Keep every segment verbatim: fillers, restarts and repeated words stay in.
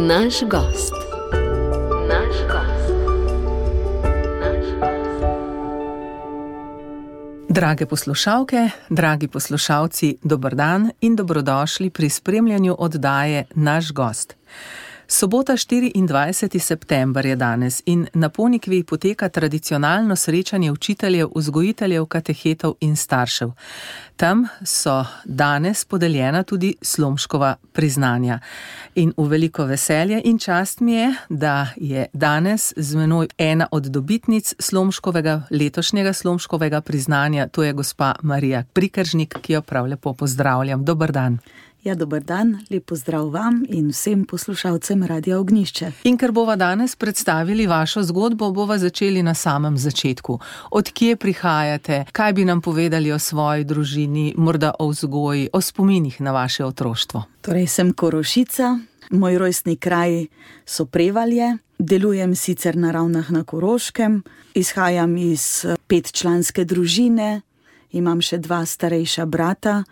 Naš gost. Naš gost. Naš gost. Drage poslušalke, dragi poslušalci, dober dan in dobrodošli pri spremljanju oddaje Naš gost. Sobota štiriindvajseti september je danes in na Ponikvi poteka tradicionalno srečanje učiteljev, vzgojiteljev, katehetov in staršev. Tam so danes podeljena tudi Slomškova priznanja. In v veliko veselje in čast mi je, da je danes z menoj ena od dobitnic Slomškovega, letošnjega Slomškovega priznanja, to je gospa Marija Prikeržnik, ki jo prav lepo pozdravljam. Dober dan. Ja, dober dan, lep pozdrav vam in vsem poslušalcem Radia Ognjišče. In ker bova danes predstavili vašo zgodbo, bova začeli na samem začetku. Od kje prihajate, kaj bi nam povedali o svoji družini, morda o vzgoji, o spominih na vaše otroštvo? Torej, sem Korošica, moj rojstni kraj so Prevalje, delujem sicer na Ravnah na Koroškem, izhajam iz petčlanske družine, imam še dva starejša brata.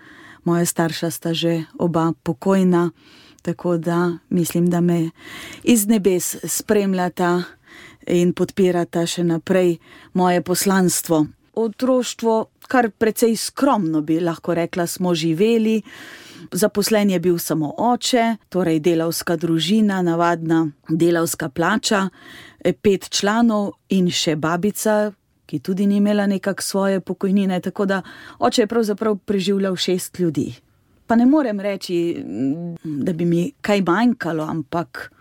Moja starša sta že oba pokojna, tako da mislim, da me iz nebes spremljata in podpirata še naprej moje poslanstvo. Otroštvo kar precej skromno, bi lahko rekla, smo živeli. Zaposlen je bil samo oče, torej delavska družina, navadna delavska plača, pet članov in še babica, ki tudi ni imela nekak svoje pokojnine, tako da oče je pravzaprav preživljal šest ljudi. Pa ne morem reči, da bi mi kaj manjkalo, ampak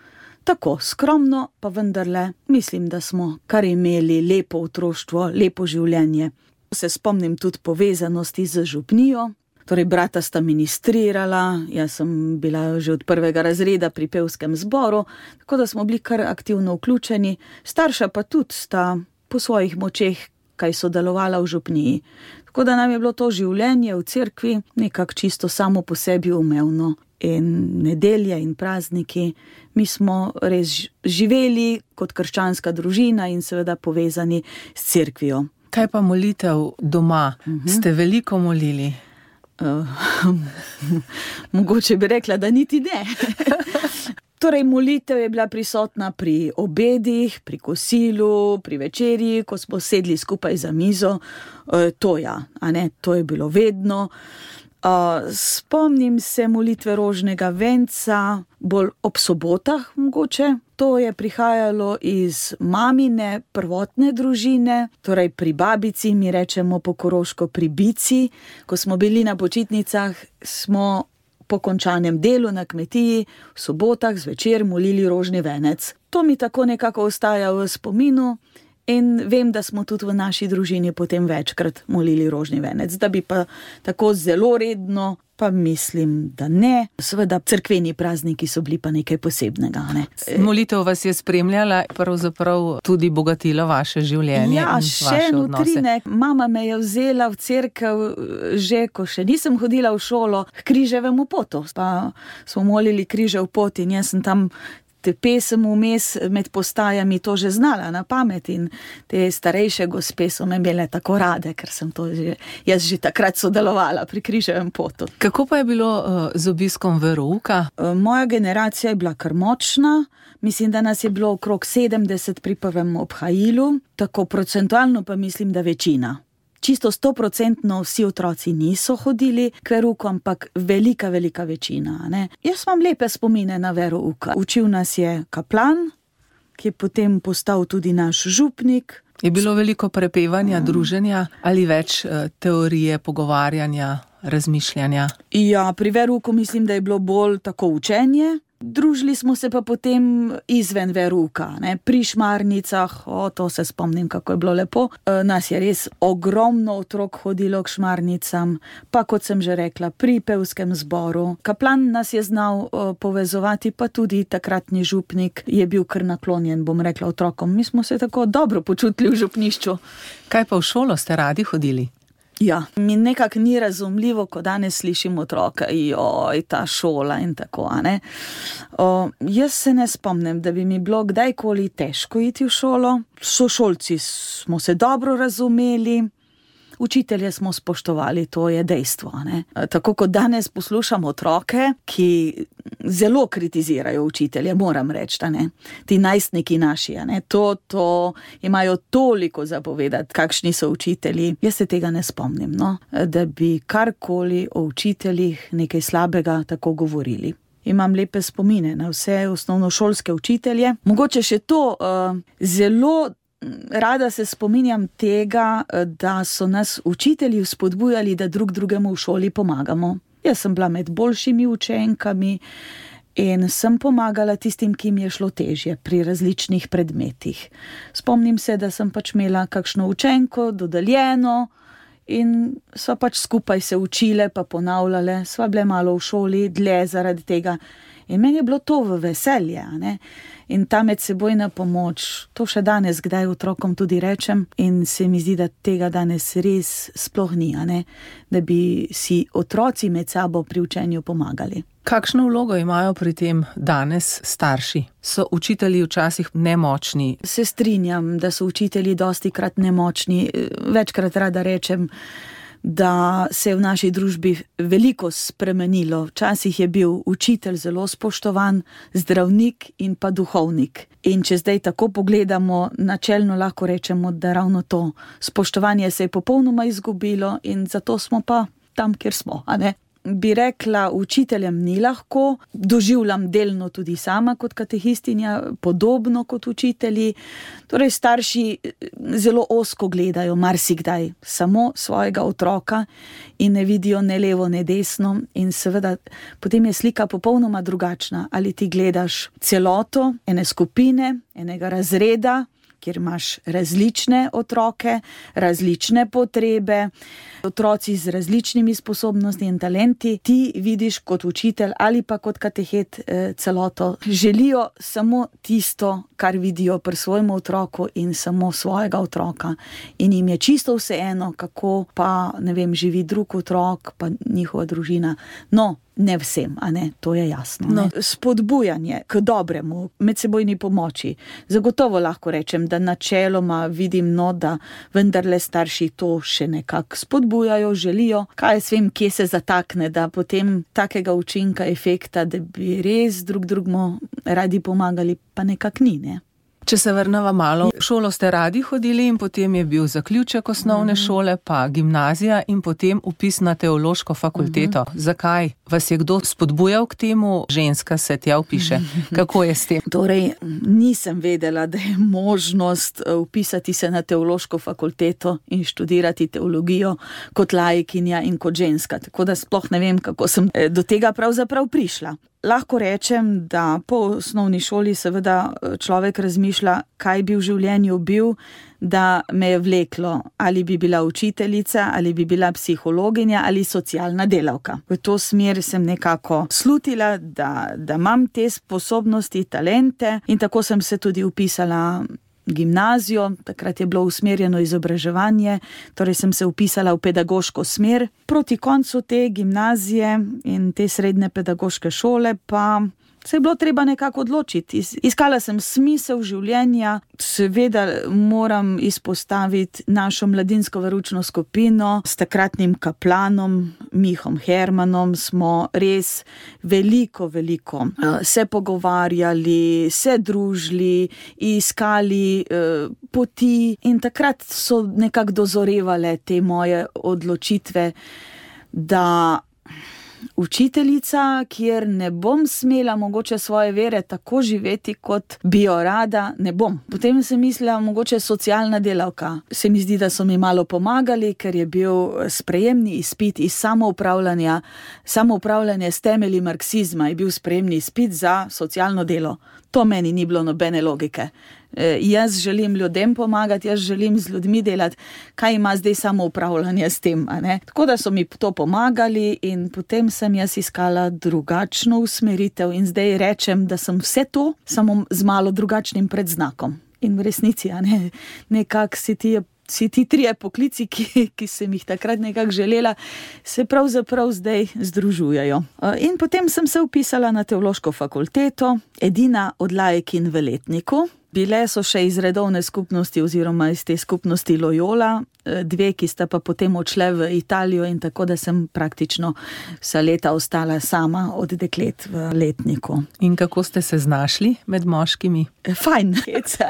tako skromno, pa vendarle mislim, da smo kar imeli lepo otroštvo, lepo življenje. Se spomnim tudi povezanosti z župnijo, torej brata sta ministrirala, jaz sem bila že od prvega razreda pri pevskem zboru, tako da smo bili kar aktivno vključeni, starša pa tudi sta po svojih močeh kaj sodelovala v župniji. Tako da nam je bilo to življenje v cerkvi nekako čisto samo po sebi umevno. In nedelje in prazniki, mi smo res živeli kot krščanska družina in seveda povezani s cerkvijo. Kaj pa molitev doma? Uh-huh. Ste veliko molili? Uh, mogoče bi rekla, da niti ne. Torej, molitev je bila prisotna pri obedih, pri kosilu, pri večerji, ko smo sedli skupaj za mizo. E, to ja, a ne, to je bilo vedno. E, spomnim se molitve rožnega venca, bolj ob sobotah mogoče. To je prihajalo iz mamine prvotne družine, torej pri babici, mi rečemo po koroško pri bici. Ko smo bili na počitnicah, smo po končanem delu na kmetiji v sobotah zvečer molili rožni venec. To mi tako nekako ostaja v spominu in vem, da smo tudi v naši družini potem večkrat molili rožni venec. Da bi pa tako zelo redno, pa mislim, da ne. Seveda, cerkveni prazniki so bili pa nekaj posebnega. Ne? Molitev vas je spremljala, pravzaprav tudi bogatila vaše življenje ja, in vaše še odnose. Nutrinek. Mama me je vzela v cerkev že, ko še nisem hodila v šolo, k križevemu potu. Pa smo molili križev pot in jaz sem tam te pesem vmes med postajami to že znala na pamet in te starejše gospe so me imele tako rade, ker sem to že, jaz že takrat sodelovala pri križevem potu. Kako pa je bilo uh, z obiskom verouka? Uh, moja generacija je bila kar močna, mislim, da nas je bilo okrog sedemdeset pri prvem obhajilu, tako procentualno pa mislim, da večina. Čisto stoprocentno vsi otroci niso hodili k verouku, ampak velika, velika večina. Ne? Jaz imam lepe spomine na verouka. Učil nas je kaplan, ki je potem postal tudi naš župnik. Je bilo veliko prepevanja, um. druženja ali več uh, teorije, pogovarjanja, razmišljanja? Ja, pri verouku mislim, da je bilo bolj tako učenje. Družili smo se pa potem izven verouka, ne, pri šmarnicah, o, to se spomnim, kako je bilo lepo. E, nas je res ogromno otrok hodilo k šmarnicam, pa kot sem že rekla, pri pevskem zboru. Kaplan nas je znal o, povezovati, pa tudi takratni župnik je bil kar naklonjen, bom rekla, otrokom. Mi smo se tako dobro počutili v župnišču. Kaj pa v šolo ste radi hodili? Ja, mi nekako ni razumljivo, ko danes slišim otroka, joj, ta šola in tako, a ne. O, jaz se ne spomnim, da bi mi bilo kdajkoli težko iti v šolo. S sošolci smo se dobro razumeli, učitelje smo spoštovali, to je dejstvo, ne. Tako kot danes poslušamo otroke, ki zelo kritizirajo učitelje, moram reči, da ne. Ti najstniki naši, ne, to, to imajo toliko zapovedati, kakšni so učitelji. Jaz se tega ne spomnim, no, da bi karkoli o učiteljih nekaj slabega tako govorili. Imam lepe spomine na vse osnovnošolske učitelje. Mogoče še to, uh, zelo rada se spominjam tega, da so nas učitelji vzpodbujali, da drug drugemu v šoli pomagamo. Jaz sem bila med boljšimi učenkami in sem pomagala tistim, ki mi je šlo težje pri različnih predmetih. Spomnim se, da sem pač imela kakšno učenko dodeljeno in sva pač skupaj se učile pa ponavljale, sva bile malo v šoli dlje zaradi tega. In meni je bilo to v veselje, ne? In ta medsebojna pomoč, to še danes kdaj otrokom tudi rečem in se mi zdi, da tega danes res sploh ni, ne? Da bi si otroci med sabo pri učenju pomagali. Kakšno vlogo imajo pri tem danes starši? So učitelji včasih nemočni? Se strinjam, da so učitelji dostikrat nemočni. Večkrat rada rečem, da se je v naši družbi veliko spremenilo. Včasih je bil učitelj zelo spoštovan, zdravnik in pa duhovnik. In če zdaj tako pogledamo, načelno lahko rečemo, da ravno to spoštovanje se je popolnoma izgubilo in zato smo pa tam, kjer smo, a ne? Bi rekla, učiteljem ni lahko, doživljam delno tudi sama kot katehistinja, podobno kot učitelji. Torej starši zelo ozko gledajo marsikdaj samo svojega otroka in ne vidijo ne levo, ne desno in seveda potem je slika popolnoma drugačna. Ali ti gledaš celoto ene skupine, enega razreda, kjer imaš različne otroke, različne potrebe, otroci z različnimi sposobnostmi in talenti, ti vidiš kot učitelj ali pa kot katehet eh, celoto. Želijo samo tisto, kar vidijo pri svojem otroku in samo svojega otroka. In jim je čisto vseeno, kako pa, ne vem, živi drug otrok, pa njihova družina. No, ne vsem, a ne, to je jasno. No. Spodbujanje k dobremu, medsebojni pomoči. Zagotovo lahko rečem, da načeloma vidim, no, da vendarle starši to še nekako spodbujajo, želijo. Kaj jaz vem, kje se zatakne, da potem takega učinka, efekta, da bi res drug drugmu radi pomagali, pa nekako ni, ne. Če se vrneva malo, v šolo ste radi hodili in potem je bil zaključek osnovne šole, pa gimnazija in potem vpis na teološko fakulteto. Uh-huh. Zakaj? Vas je kdo spodbujal k temu? Ženska se tja vpiše. Kako je s tem? Torej, nisem vedela, da je možnost vpisati se na teološko fakulteto in študirati teologijo kot laikinja in kot ženska. Tako da sploh ne vem, kako sem do tega pravzaprav prišla. Lahko rečem, da po osnovni šoli seveda človek razmišlja, kaj bi v življenju bil, da me je vleklo, ali bi bila učiteljica, ali bi bila psihologinja, ali socialna delavka. V to smer sem nekako slutila, da, da imam te sposobnosti, talente in tako sem se tudi vpisala gimnazijo, takrat je bilo usmerjeno izobraževanje, torej sem se vpisala v pedagoško smer. Proti koncu te gimnazije in te srednje pedagoške šole pa se je bilo treba nekako odločiti. Iskala sem smisel življenja, seveda moram izpostaviti našo mladinsko veroučno skupino s takratnim kaplanom Mihom Hermanom, smo res veliko, veliko se pogovarjali, se družili, iskali uh, poti in takrat so nekako dozorevale te moje odločitve, da učiteljica, kjer ne bom smela mogoče svoje vere tako živeti, kot bi jo rada, ne bom. Potem sem mislila, mogoče socialna delavka. Se mi zdi, da so mi malo pomagali, ker je bil sprejemni izpit iz samoupravljanja, samoupravljanje s temelji marksizma je bil sprejemni izpit za socialno delo. To meni ni bilo nobene logike. E, jaz želim ljudem pomagati, jaz želim z ljudmi delati, kaj ima zdaj samoupravljanje s tem, a ne? Tako da so mi to pomagali in potem sem jaz iskala drugačno usmeritev in zdaj rečem, da sem vse to, samo z malo drugačnim predznakom. In v resnici, a ne, nekako si ti je Vsi ti trije poklici, ki, ki sem jih takrat nekako želela, se pravzaprav zdaj združujejo. In potem sem se vpisala na teološko fakulteto, edina od laikin v letniku. Bile so še iz redovne skupnosti oziroma iz te skupnosti Loyola, dve, ki sta pa potem odšle v Italijo in tako, da sem praktično vsa leta ostala sama od deklet v letniku. In kako ste se znašli med moškimi? Fajn,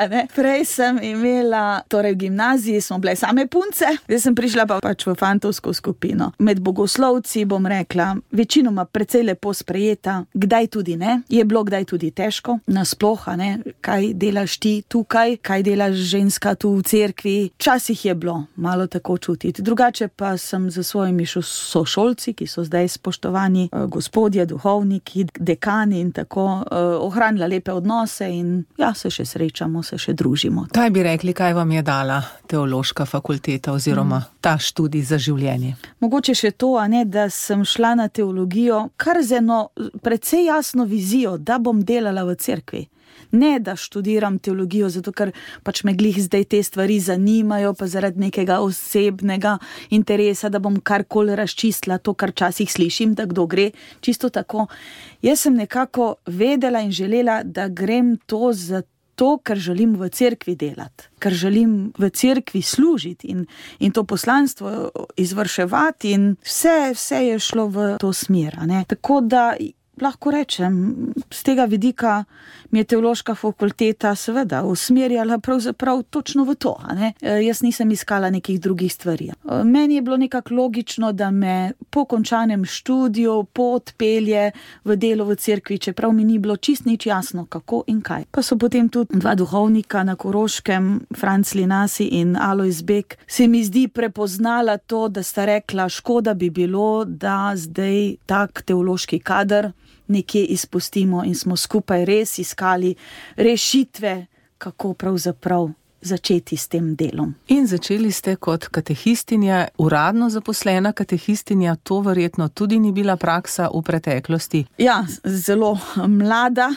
ne? Prej sem imela, torej v gimnaziji smo bile same punce, zdaj sem prišla pa pač v fantovsko skupino. Med bogoslovci, bom rekla, večinoma precej lepo sprejeta, kdaj tudi ne, je bilo kdaj tudi težko, nasploh, ne, kaj delaš ti tukaj, kaj delaš ženska tu v cerkvi, včasih je bilo malo tako čutiti. Drugače pa sem za svojimi sošolci, ki so zdaj spoštovani gospodje, duhovniki, dekani in tako, ohranila lepe odnose in ja, se še srečamo, se še družimo. Kaj bi rekli, kaj vam je dala teološka fakulteta oziroma mm. ta študij za življenje? Mogoče še to, a ne, da sem šla na teologijo kar z eno precej jasno vizijo, da bom delala v cerkvi. Ne, da študiram teologijo, zato ker pač me glih zdaj te stvari zanimajo, pa zaradi nekega osebnega interesa, da bom karkoli razčistila to, kar časih slišim, da kdo gre, čisto tako. Jaz sem nekako vedela in želela, da grem to zato, ker želim v cerkvi delati, ker želim v cerkvi služiti in, in to poslanstvo izvrševati in vse, vse je šlo v to smer, ne. Tako da lahko rečem, z tega vidika mi je teološka fakulteta seveda usmerjala pravzaprav točno v to, a ne. E, jaz nisem iskala nekih drugih stvari. E, meni je bilo nekako logično, da me po končanem študiju pot pelje v delo v cerkvi, čeprav mi ni bilo čist nič jasno, kako in kaj. Pa so potem tudi dva duhovnika na Koroškem, Franc Linasi in Alojz Bek, se mi zdi prepoznala to, da sta rekla, škoda bi bilo, da zdaj tak teološki kader nekje izpustimo in smo skupaj res iskali rešitve, kako pravzaprav začeti s tem delom. In začeli ste kot katehistinja, uradno zaposlena katehistinja, to verjetno tudi ni bila praksa v preteklosti. Ja, zelo mlada,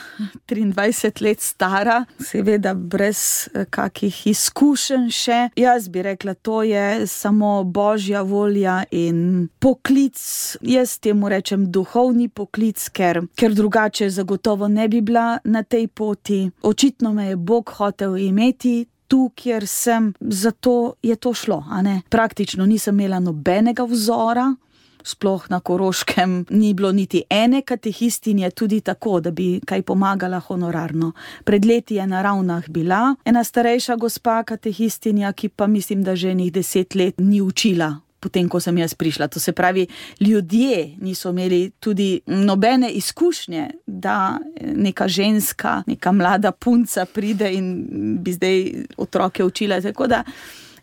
triindvajset let stara, seveda brez kakih izkušenj še. Jaz bi rekla, to je samo božja volja in poklic, jaz temu rečem duhovni poklic, ker, ker drugače zagotovo ne bi bila na tej poti. Očitno me je Bog hotel imeti tu, kjer sem, zato je to šlo, a ne. Praktično nisem imela nobenega vzora, sploh na Koroškem ni bilo niti ene katehistinje, tudi tako, da bi kaj pomagala honorarno. Pred leti je na Ravnah bila ena starejša gospa katehistinja, ki pa mislim, da že enih deset let ni učila, potem ko sem jaz prišla. To se pravi, ljudje niso imeli tudi nobene izkušnje, da neka ženska, neka mlada punca pride in bi zdaj otroke učila, tako da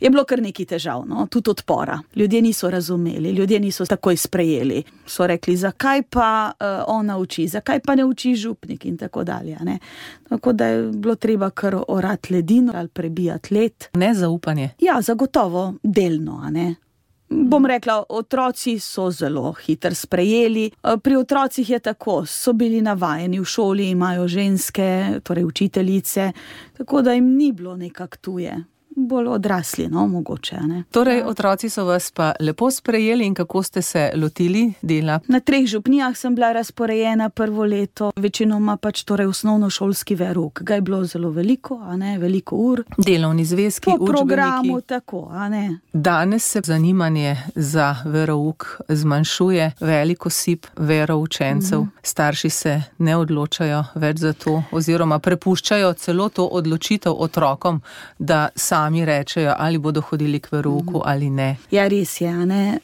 je bilo kar nekaj težav, no, tudi odpora. Ljudje niso razumeli, ljudje niso takoj sprejeli. So rekli, zakaj pa uh, ona uči, zakaj pa ne uči župnik in tako dalje, ne. Tako da je bilo treba kar orati ledino ali prebijati led. Nezaupanje. Ja, zagotovo delno, a ne. Bom rekla, otroci so zelo hitro sprejeli. Pri otrocih je tako, so bili navajeni, v šoli imajo ženske, torej učiteljice, tako da jim ni bilo nekak tuje. Bolj odrasli, no, mogoče, ne. Torej, otroci so vas pa lepo sprejeli in kako ste se lotili dela? Na treh župnijah sem bila razporejena prvo leto, večinoma pač torej osnovnošolski verouk. Ga je bilo zelo veliko, a ne, veliko ur. Delovni zvezki, učbeniki. Po programu, tako, a ne. Danes se zanimanje za verouk zmanjšuje, veliko osip veroučencev. Mm-hmm. Starši se ne odločajo več za to, oziroma prepuščajo celo to odločitev otrokom, da sami mi rečejo, ali bodo hodili k verouku ali ne. Ja, res je, a ne,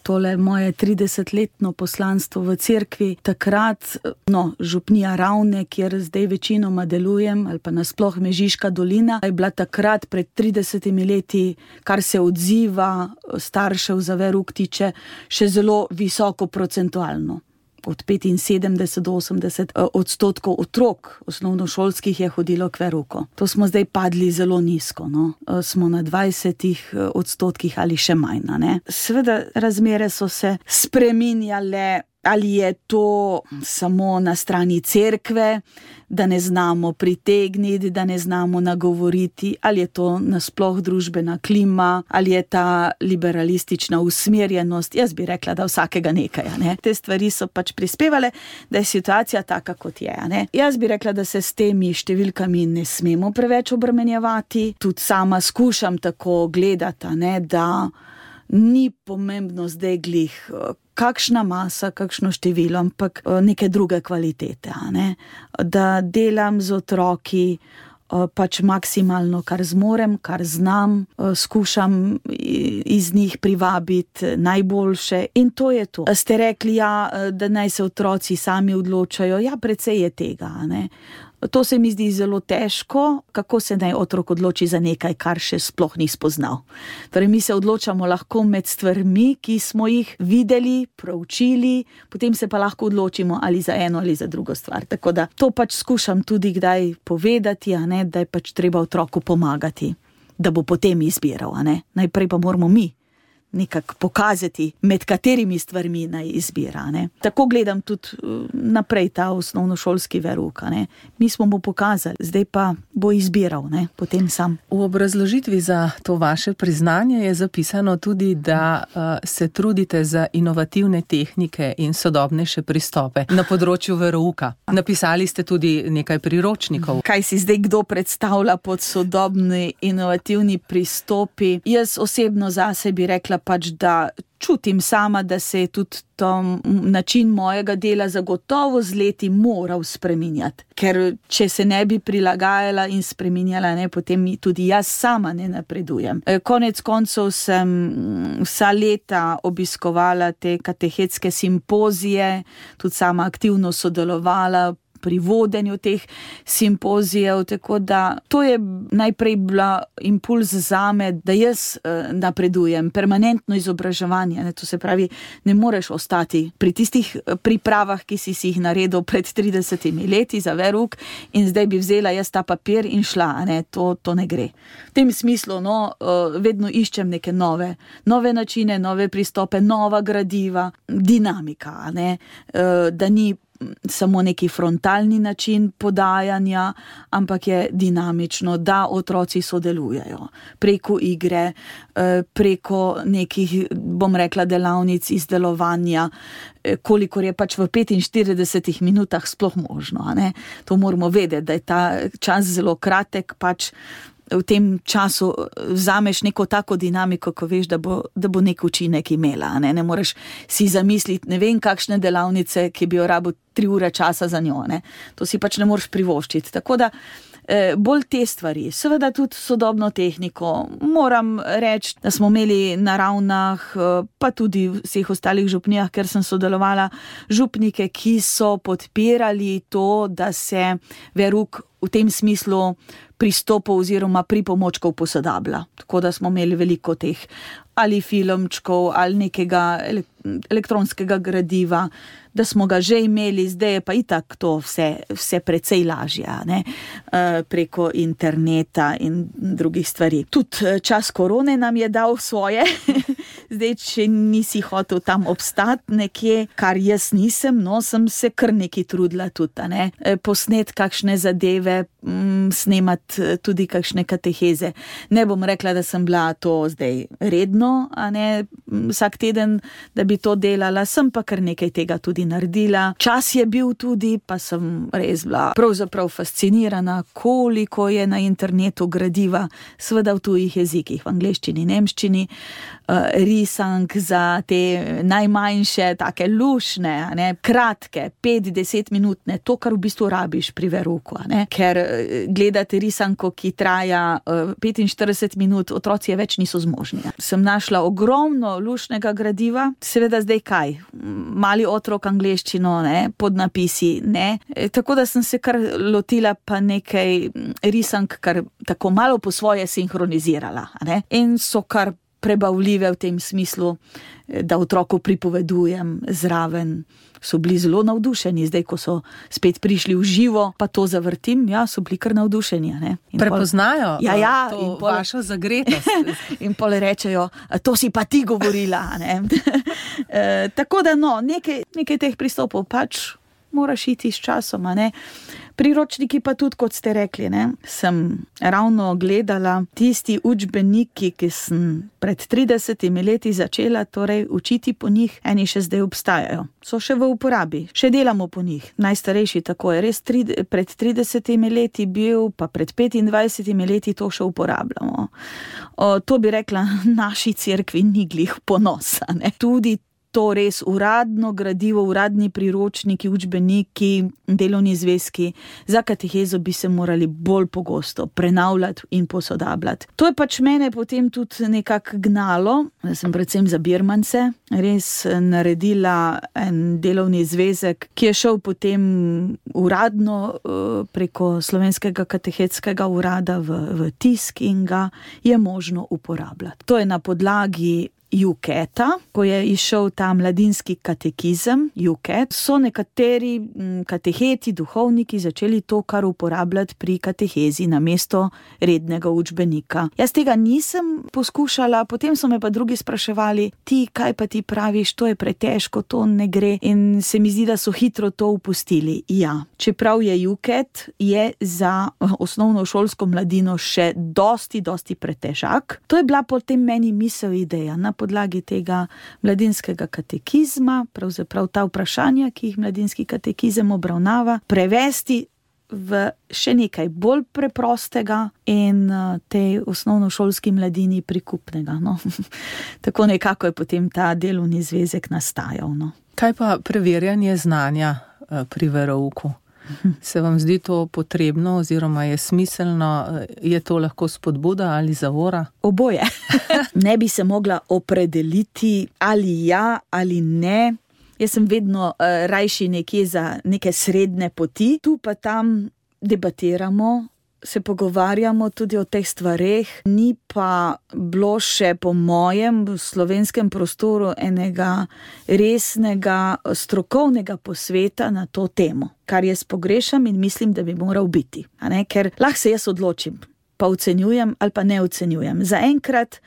tole moje tridesetletno poslanstvo v cerkvi, takrat, no, župnija Ravne, kjer zdaj večinoma delujem, ali pa nasploh Mežiška dolina, je bila takrat pred tridesetimi leti, kar se odziva staršev za verouk tiče, še zelo visoko procentualno. Od petinsedemdeset do osemdeset odstotkov otrok osnovnošolskih je hodilo k verouku. To smo zdaj padli zelo nizko, no. Smo na dvajsetih odstotkih ali še manj, ne. Seveda razmere so se spreminjale, Ali je to samo na strani cerkve, da ne znamo pritegniti, da ne znamo nagovoriti, ali je to nasploh družbena klima, ali je ta liberalistična usmerjenost. Jaz bi rekla, da vsakega nekaj. Ne? Te stvari so pač prispevale, da je situacija taka, kot je. Ne? Jaz bi rekla, da se s temi številkami ne smemo preveč obremenjevati. Tudi sama skušam tako gledati, ne, da ni pomembno zdaj glih kakšna masa, kakšno število, ampak neke druge kvalitete. Ne? Da delam z otroki pač maksimalno, kar zmorem, kar znam, skušam iz njih privabiti najboljše in to je to. Ste rekli, ja, da naj se otroci sami odločajo, ja, precej je tega, ne. To se mi zdi zelo težko, kako se naj otrok odloči za nekaj, kar še sploh ni spoznal. Torej, mi se odločamo lahko med stvarmi, ki smo jih videli, proučili, potem se pa lahko odločimo ali za eno ali za drugo stvar. Tako da to pač skušam tudi kdaj povedati, a ne, da je pač treba otroku pomagati, da bo potem izbiral, a ne. Najprej pa moramo mi nekako pokazati, med katerimi stvarmi naj izbira. Ne. Tako gledam tudi naprej ta osnovnošolski verouk. Ne. Mi smo mu pokazali, zdaj pa bo izbiral, ne, potem sam. V obrazložitvi za to vaše priznanje je zapisano tudi, da uh, se trudite za inovativne tehnike in sodobnejše pristope na področju verouka. Napisali ste tudi nekaj priročnikov. Kaj si zdaj kdo predstavlja pod sodobni inovativni pristopi? Jaz osebno zase bi rekla pač, da čutim sama, da se je tudi to način mojega dela zagotovo z leti moral spreminjati. Ker če se ne bi prilagajala in spreminjala, ne, potem tudi jaz sama ne napredujem. Konec koncev sem vsa leta obiskovala te katehetske simpozije, tudi sama aktivno sodelovala pri vodenju teh simpozijev, tako da to je najprej bila impuls zame, da jaz eh, napredujem, permanentno izobraževanje, ne, to se pravi, ne moreš ostati pri tistih pripravah, ki si si jih naredil pred tridesetimi leti za verouk in zdaj bi vzela jaz ta papir in šla, ne, to, to ne gre. V tem smislu, no, eh, vedno iščem neke nove, nove načine, nove pristope, nova gradiva, dinamika, ne, eh, da ni samo neki frontalni način podajanja, ampak je dinamično, da otroci sodelujejo preko igre, preko nekih, bom rekla, delavnic izdelovanja, kolikor je pač v petinštiridesetih minutah sploh možno. Ne? To moramo vedeti, da je ta čas zelo kratek, pač v tem času vzameš neko tako dinamiko, ko veš, da bo, da bo nek učinek imela. Ne? Ne moreš si zamisliti, ne vem, kakšne delavnice, ki bi jo rabil tri ure časa za njo. Ne? To si pač ne moreš privoščiti. Tako da eh, bolj te stvari, seveda tudi sodobno tehniko. Moram reči, da smo imeli na Ravnah, pa tudi v vseh ostalih župnijah, ker sem sodelovala, župnike, ki so podpirali to, da se verouk v tem smislu pristopov oziroma pripomočkov posodablja. Tako da smo imeli veliko teh ali filmčkov ali nekega elektronskega gradiva, da smo ga že imeli, zdaj je pa itak to vse, vse precej lažje, ne? Preko interneta in drugih stvari. Tudi čas korone nam je dal svoje, zdaj, če nisi hotel tam obstati nekje, kar jaz nisem, no, sem se kar nekaj trudila tudi, ne? Posnet kakšne zadeve, snemati tudi kakšne kateheze. Ne bom rekla, da sem bila to zdaj redno, a ne vsak teden, da bi to delala, sem pa kar nekaj tega tudi naredila. Čas je bil tudi, pa sem res bila pravzaprav fascinirana, koliko je na internetu gradiva, seveda v tujih jezikih, v angleščini, nemščini, risank za te najmanjše, take lušne, ne, kratke, pet, deset minutne, to, kar v bistvu rabiš pri verouku, ne, ker gledati risanko, ki traja petinštirideset minut, otroci je več niso zmožni. Sem našla ogromno lušnega gradiva, seveda zdaj kaj, mali otrok angleščino, ne, podnapisi, ne, e, tako da sem se kar lotila pa nekaj risank, kar tako malo po svoje sinhronizirala, ne, in so kar prebavljive v tem smislu, da otroku pripovedujem zraven so bili zelo navdušeni. Zdaj, ko so spet prišli v živo, pa to zavrtim, ja, so bili kar navdušeni. Ne? Prepoznajo pol, ja, ja, to in pol, vašo zagretost. In pol rečejo, to si pa ti govorila. Ne? e, tako da no, nekaj, nekaj teh pristopov pač moraš iti s časom. Ne? Priročniki pa tudi, kot ste rekli, ne? Sem ravno gledala tisti učbeniki, ki sem pred tridesetimi leti začela torej učiti po njih, eni še zdaj obstajajo. So še v uporabi, še delamo po njih. Najstarejši tako je res tri, pred tridesetimi leti bil, pa pred petindvajsetimi leti to še uporabljamo. O, to bi rekla, naši cerkvi ni glih ponosa. Ne? Tudi to res uradno gradivo, uradni priročniki, učbeniki, delovni zvezki za katehezo bi se morali bolj pogosto prenavljati in posodabljati. To je pač mene potem tudi nekako gnalo, da sem predvsem za birmance res naredila en delovni zvezek, ki je šel potem uradno preko Slovenskega katehetskega urada v, v tisk in ga je možno uporabljati. To je na podlagi Juketa, ko je išel ta mladinski katekizem, Juket, so nekateri kateheti, duhovniki začeli to kar uporabljati pri katehezi namesto rednega učbenika. Jaz tega nisem poskušala, potem so me pa drugi spraševali, ti, kaj pa ti praviš, to je pretežko, to ne gre in se mi zdi, da so hitro to upustili. Ja, čeprav je Juket, je za osnovno šolsko mladino še dosti, dosti pretežak. To je bila potem meni misel, ideja, na podlagi tega mladinskega katekizma, pravzaprav ta vprašanja, ki jih mladinski katekizem obravnava, prevesti v še nekaj bolj preprostega in tej osnovnošolski mladini prikupnega. No. Tako nekako je potem ta delovni zvezek nastajal. No. Kaj pa preverjanje znanja pri verouku? Se vam zdi to potrebno oziroma je smiselno, je to lahko spodbuda ali zavora? Oboje. Ne bi se mogla opredeliti ali ja ali ne. Jaz sem vedno uh, rajši nekje za neke srednje poti. Tu pa tam debatiramo, se pogovarjamo tudi o teh stvareh. Ni pa bilo še po mojem v slovenskem prostoru enega resnega strokovnega posveta na to temo, kar jaz pogrešam in mislim, da bi moral biti. A ne? Ker lahko se jaz odločim, pa ocenjujem ali pa ne ocenjujem. Zaenkrat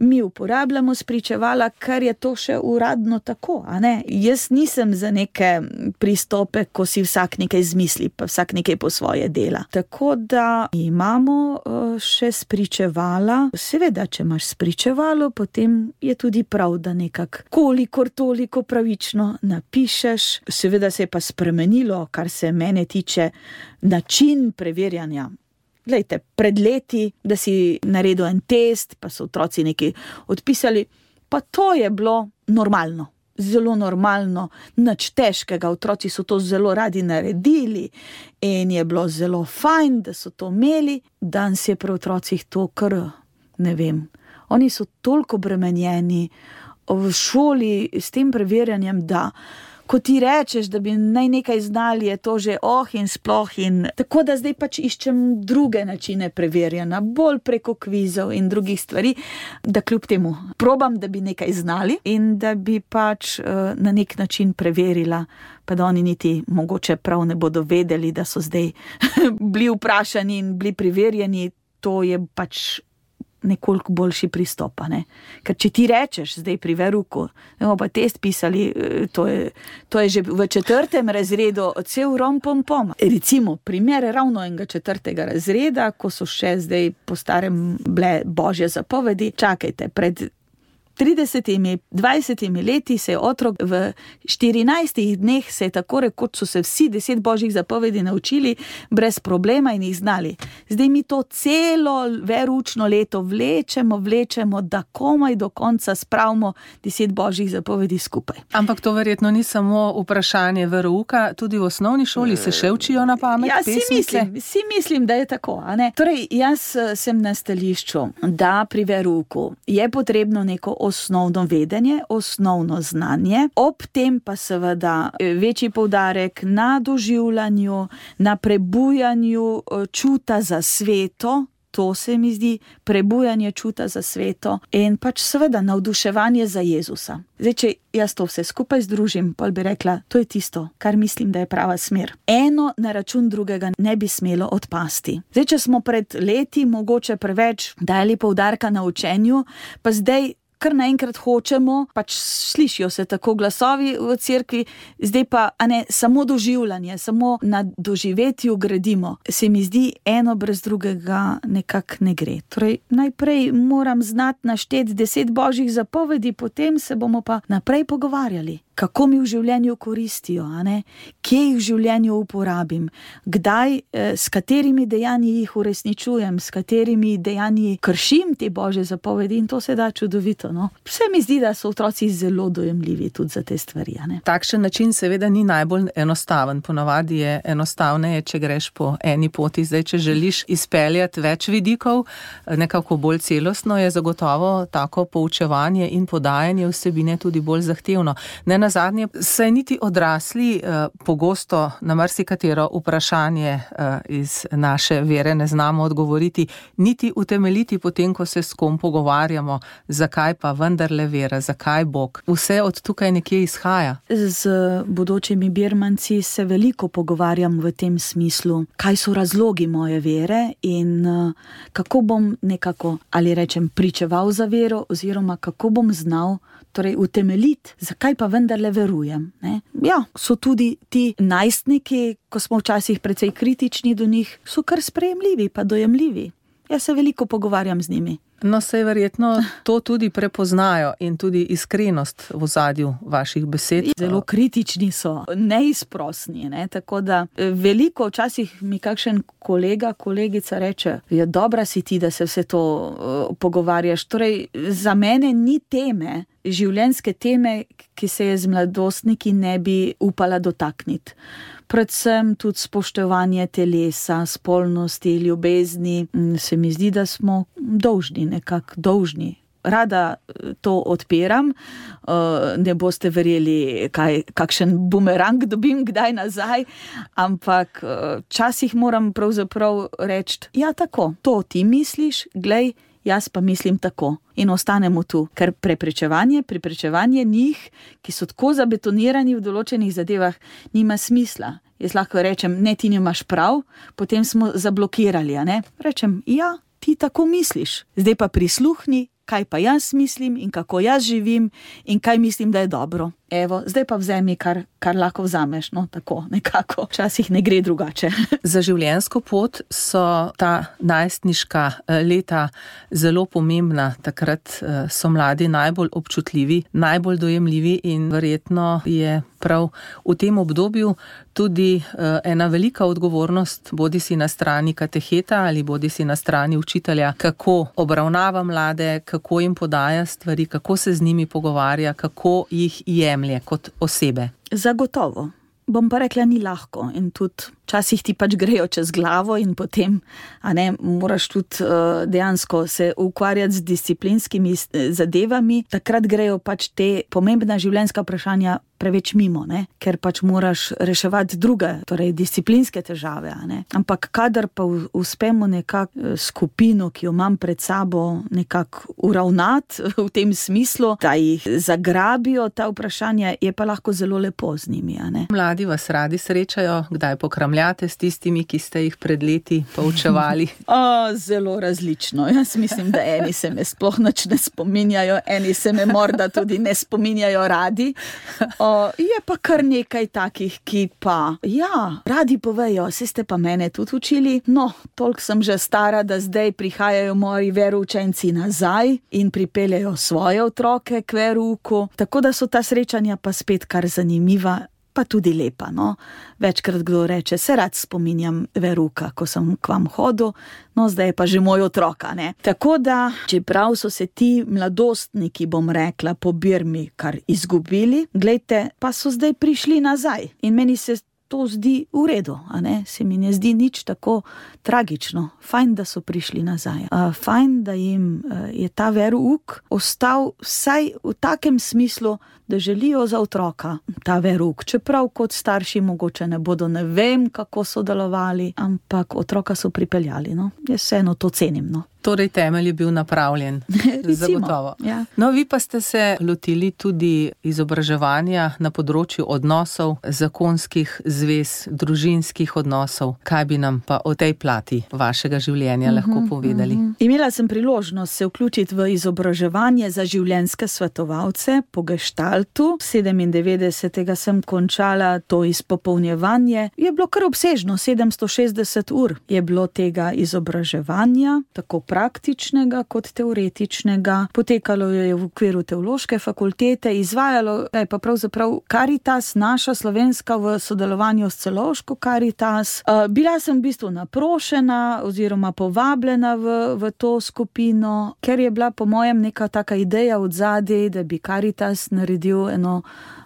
mi uporabljamo spričevala, ker je to še uradno tako. A ne? Jaz nisem za neke pristope, ko si vsak nekaj zmisli, pa vsak nekaj po svoje dela. Tako da imamo uh, še spričevala. Seveda, če imaš spričevalo, potem je tudi prav, da nekak kolikor toliko pravično napišeš. Seveda se je pa spremenilo, kar se mene tiče, način preverjanja. Glejte, pred leti, da si naredil en test, pa so otroci nekaj odpisali, pa to je bilo normalno, zelo normalno, nič težkega, otroci so to zelo radi naredili in je bilo zelo fajn, da so to imeli. Danes je pri otrocih to kar, ne vem, oni so toliko bremenjeni v šoli s tem preverjanjem, da ko ti rečeš, da bi naj nekaj znali, je to že oh in sploh in tako da zdaj pač iščem druge načine preverjanja, bolj preko kvizov in drugih stvari, da kljub temu probam, da bi nekaj znali in da bi pač uh, na nek način preverila, pa da oni niti mogoče prav ne bodo vedeli, da so zdaj bili vprašani in bili preverjeni, to je pač nekoliko boljši pristop, ne? Ker če ti rečeš zdaj pri veruku, bomo pa test pisali, to je, to je že v četrtem razredu cel rom pom pom. Recimo primer ravno enega četrtega razreda, ko so še zdaj po starem bile božje zapovedi, čakajte, pred tridesetimi, dvajsetimi leti se je otrok v štirinajstih dneh se je tako rekoč so se vsi deset božjih zapovedi naučili brez problema in jih znali. Zdaj mi to celo veroučno leto vlečemo, vlečemo, da komaj do konca spravimo deset božjih zapovedi skupaj. Ampak to verjetno ni samo vprašanje verouka, tudi v osnovni šoli se še učijo na pamet ja, pesmice? Si mislim, si mislim, da je tako, a ne? Torej, jaz sem na stališču, da pri verouku je potrebno neko osnovno vedenje, osnovno znanje, ob tem pa seveda večji poudarek na doživljanju, na prebujanju čuta za sveto, To se mi zdi prebujanje čuta za sveto in pač seveda navduševanje za Jezusa. Zdaj, če jaz to vse skupaj združim, pol bi rekla, to je tisto, kar mislim, da je prava smer. Eno na račun drugega ne bi smelo odpasti. Zdaj, če smo pred leti mogoče preveč dali poudarka na učenju, pa zdaj kar naenkrat hočemo, pač slišijo se tako glasovi v cerkvi, zdaj pa, a ne, samo doživljanje, samo na doživetju gradimo. Se mi zdi, eno brez drugega nekako ne gre. Torej, najprej moram znati našteti deset božjih zapovedi, potem se bomo pa naprej pogovarjali. Kako mi v življenju koristijo, a ne? Kje jih v življenju uporabim, kdaj, eh, s katerimi dejanji jih uresničujem, s katerimi dejanji kršim te božje zapovedi in to se da čudovito. No? Vse mi zdi, da so otroci zelo dojemljivi tudi za te stvari. A ne? Takšen način seveda ni najbolj enostaven. Ponavadi je enostavneje, če greš po eni poti. Zdaj, če želiš izpeljati več vidikov, nekako bolj celostno, je zagotovo tako poučevanje in podajanje vsebine tudi bolj zahtevno. Ne nazadnje, saj niti odrasli eh, pogosto na marsikatero vprašanje eh, iz naše vere ne znamo odgovoriti, niti utemeljiti potem, ko se s kom pogovarjamo, zakaj pa vendarle vera, zakaj Bog. Vse od tukaj nekje izhaja. Z bodočimi birmanci se veliko pogovarjam v tem smislu, kaj so razlogi moje vere in uh, kako bom nekako, ali rečem, pričeval za vero oziroma kako bom znal torej utemeljiti, zakaj pa vendarle verujem. Ne? Ja, so tudi ti najstniki, ko smo včasih precej kritični do njih, so kar sprejemljivi pa dojemljivi. Jaz se veliko pogovarjam z njimi. No, saj verjetno to tudi prepoznajo in tudi iskrenost v ozadju vaših besed. Zelo kritični so, neizprosni, ne? Tako da veliko včasih mi kakšen kolega, kolegica reče, ja, dobra si ti, da se vse to uh, pogovarjaš. Torej, za mene ni teme, življenjske teme, ki se je z mladostniki ne bi upala dotakniti. Predvsem tudi spoštovanje telesa, spolnosti, ljubezni. Se mi zdi, da smo dolžni, nekako dolžni. Rada to odpiram, ne boste verjeli, kaj, kakšen bumerang dobim kdaj nazaj, ampak včasih moram pravzaprav reči, ja tako, to ti misliš, glej, jaz pa mislim tako. In ostanemo tu, ker preprečevanje, preprečevanje njih, ki so tako zabetonirani v določenih zadevah, nima smisla. Jaz lahko rečem, ne, ti nimaš prav, potem smo zablokirali, a ne? Rečem, ja, ti tako misliš. Zdaj pa prisluhni, kaj pa jaz mislim in kako jaz živim in kaj mislim, da je dobro. Evo, zdaj pa vzemi, kar, kar lahko vzameš, no, tako nekako. Včasih ne gre drugače. Za življenjsko pot so ta najstniška leta zelo pomembna. Takrat so mladi najbolj občutljivi, najbolj dojemljivi in verjetno je prav v tem obdobju tudi ena velika odgovornost, bodi si na strani kateheta ali bodi si na strani učitelja, kako obravnava mlade, kako jim podaja stvari, kako se z njimi pogovarja, kako jih jemlje kot osebe. Zagotovo. Bom pa rekla, ni lahko in tudi včasih ti pač grejo čez glavo in potem, a ne, moraš tudi uh, dejansko se ukvarjati z disciplinskimi zadevami, takrat grejo pač te pomembna življenjska vprašanja preveč mimo, ne, ker pač moraš reševati druge, torej disciplinske težave, a ne. Ampak kadar pa uspemo nekako skupino, ki jo imam pred sabo, nekako uravnati v tem smislu, da jih zagrabijo ta vprašanja, je pa lahko zelo lepo z njimi, a ne. Mladi vas radi srečajo, kdaj pokramljate s tistimi, ki ste jih pred leti poučevali? O, zelo različno. Jaz mislim, da eni se me sploh nič ne spominjajo, eni se me morda tudi ne spominjajo radi. O, je pa kar nekaj takih, ki pa, ja, radi povejo, saj ste pa mene tudi učili. No, toliko sem že stara, da zdaj prihajajo moji veroučenci nazaj in pripeljajo svoje otroke k verouku. Tako da so ta srečanja pa spet kar zanimiva, pa tudi lepa, no. Večkrat kdo reče, se rad spominjam veruka, ko sem k vam hodil, no zdaj je pa že moj otroka, ne. Tako da, čeprav so se ti mladostniki, bom rekla, po Birmi kar izgubili, glejte, pa so zdaj prišli nazaj. In meni se to zdi v redu, a ne, se mi ne zdi nič tako tragično. Fajn, da so prišli nazaj. Uh, fajn, da jim uh, je ta verouk ostal vsaj v takem smislu, da želijo za otroka ta verouk. Čeprav kot starši mogoče ne bodo ne vem, kako sodelovali, ampak otroka so pripeljali, no. Jaz vseeno to cenim, no. Torej temelj je bil napravljen. Zagotovo. Ja. No, vi pa ste se lotili tudi izobraževanja na področju odnosov, zakonskih zvez, družinskih odnosov. Kaj bi nam pa o tej plati vašega življenja uh-huh, lahko povedali? Uh-huh. Imela sem priložnost se vključiti v izobraževanje za življenjske svetovalce po Gestaltu. sedemindevetdesetega sem končala to izpopolnjevanje. Je bilo kar obsežno, sedemsto šestdeset ur je bilo tega izobraževanja, tako praktičnega kot teoretičnega. Potekalo je v okviru teološke fakultete, izvajalo je pa pravzaprav Karitas, naša slovenska, v sodelovanju s celovško Karitas. Bila sem v bistvu naprošena oziroma povabljena v, v to skupino, ker je bila po mojem neka taka ideja od zadaj, da bi Karitas naredil eno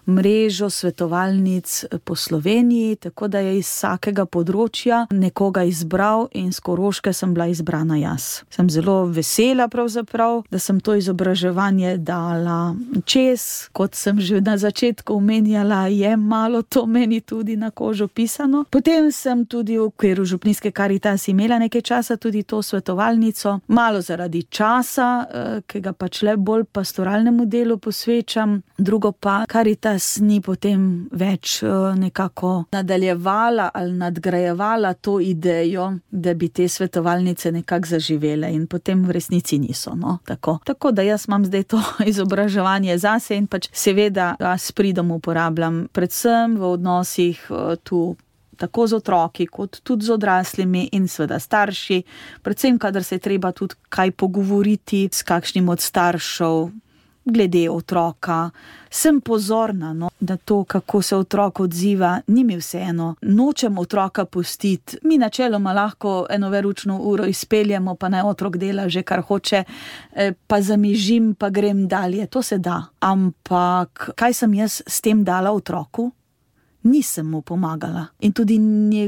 mrežo svetovalnic po Sloveniji, tako da je iz vsakega področja nekoga izbral in s Koroške sem bila izbrana jaz. Sem zelo vesela pravzaprav, da sem to izobraževanje dala čez, kot sem že na začetku omenjala, je malo to meni tudi na kožo pisano. Potem sem tudi v okviru župnijske Karitas imela nekaj časa tudi to svetovalnico, malo zaradi časa, ki ga pač le bolj pastoralnemu delu posvečam, drugo pa Karitas ni potem več nekako nadaljevala ali nadgrajevala to idejo, da bi te svetovalnice nekako zaživele in potem v resnici niso, no, tako. Tako da jaz imam zdaj to izobraževanje zase in pač seveda ga s pridom uporabljam predvsem v odnosih tu tako z otroki, kot tudi z odraslimi in seveda starši, predvsem kadar se je treba tudi kaj pogovoriti s kakšnim od staršev glede otroka. Sem pozorna, no, da to, kako se otrok odziva, ni mi vseeno. Nočem otroka pustiti. Mi načeloma lahko eno veroučno uro izpeljemo, pa naj otrok dela že kar hoče, pa zamižim, pa grem dalje. To se da. Ampak kaj sem jaz s tem dala otroku? Nisem mu pomagala in tudi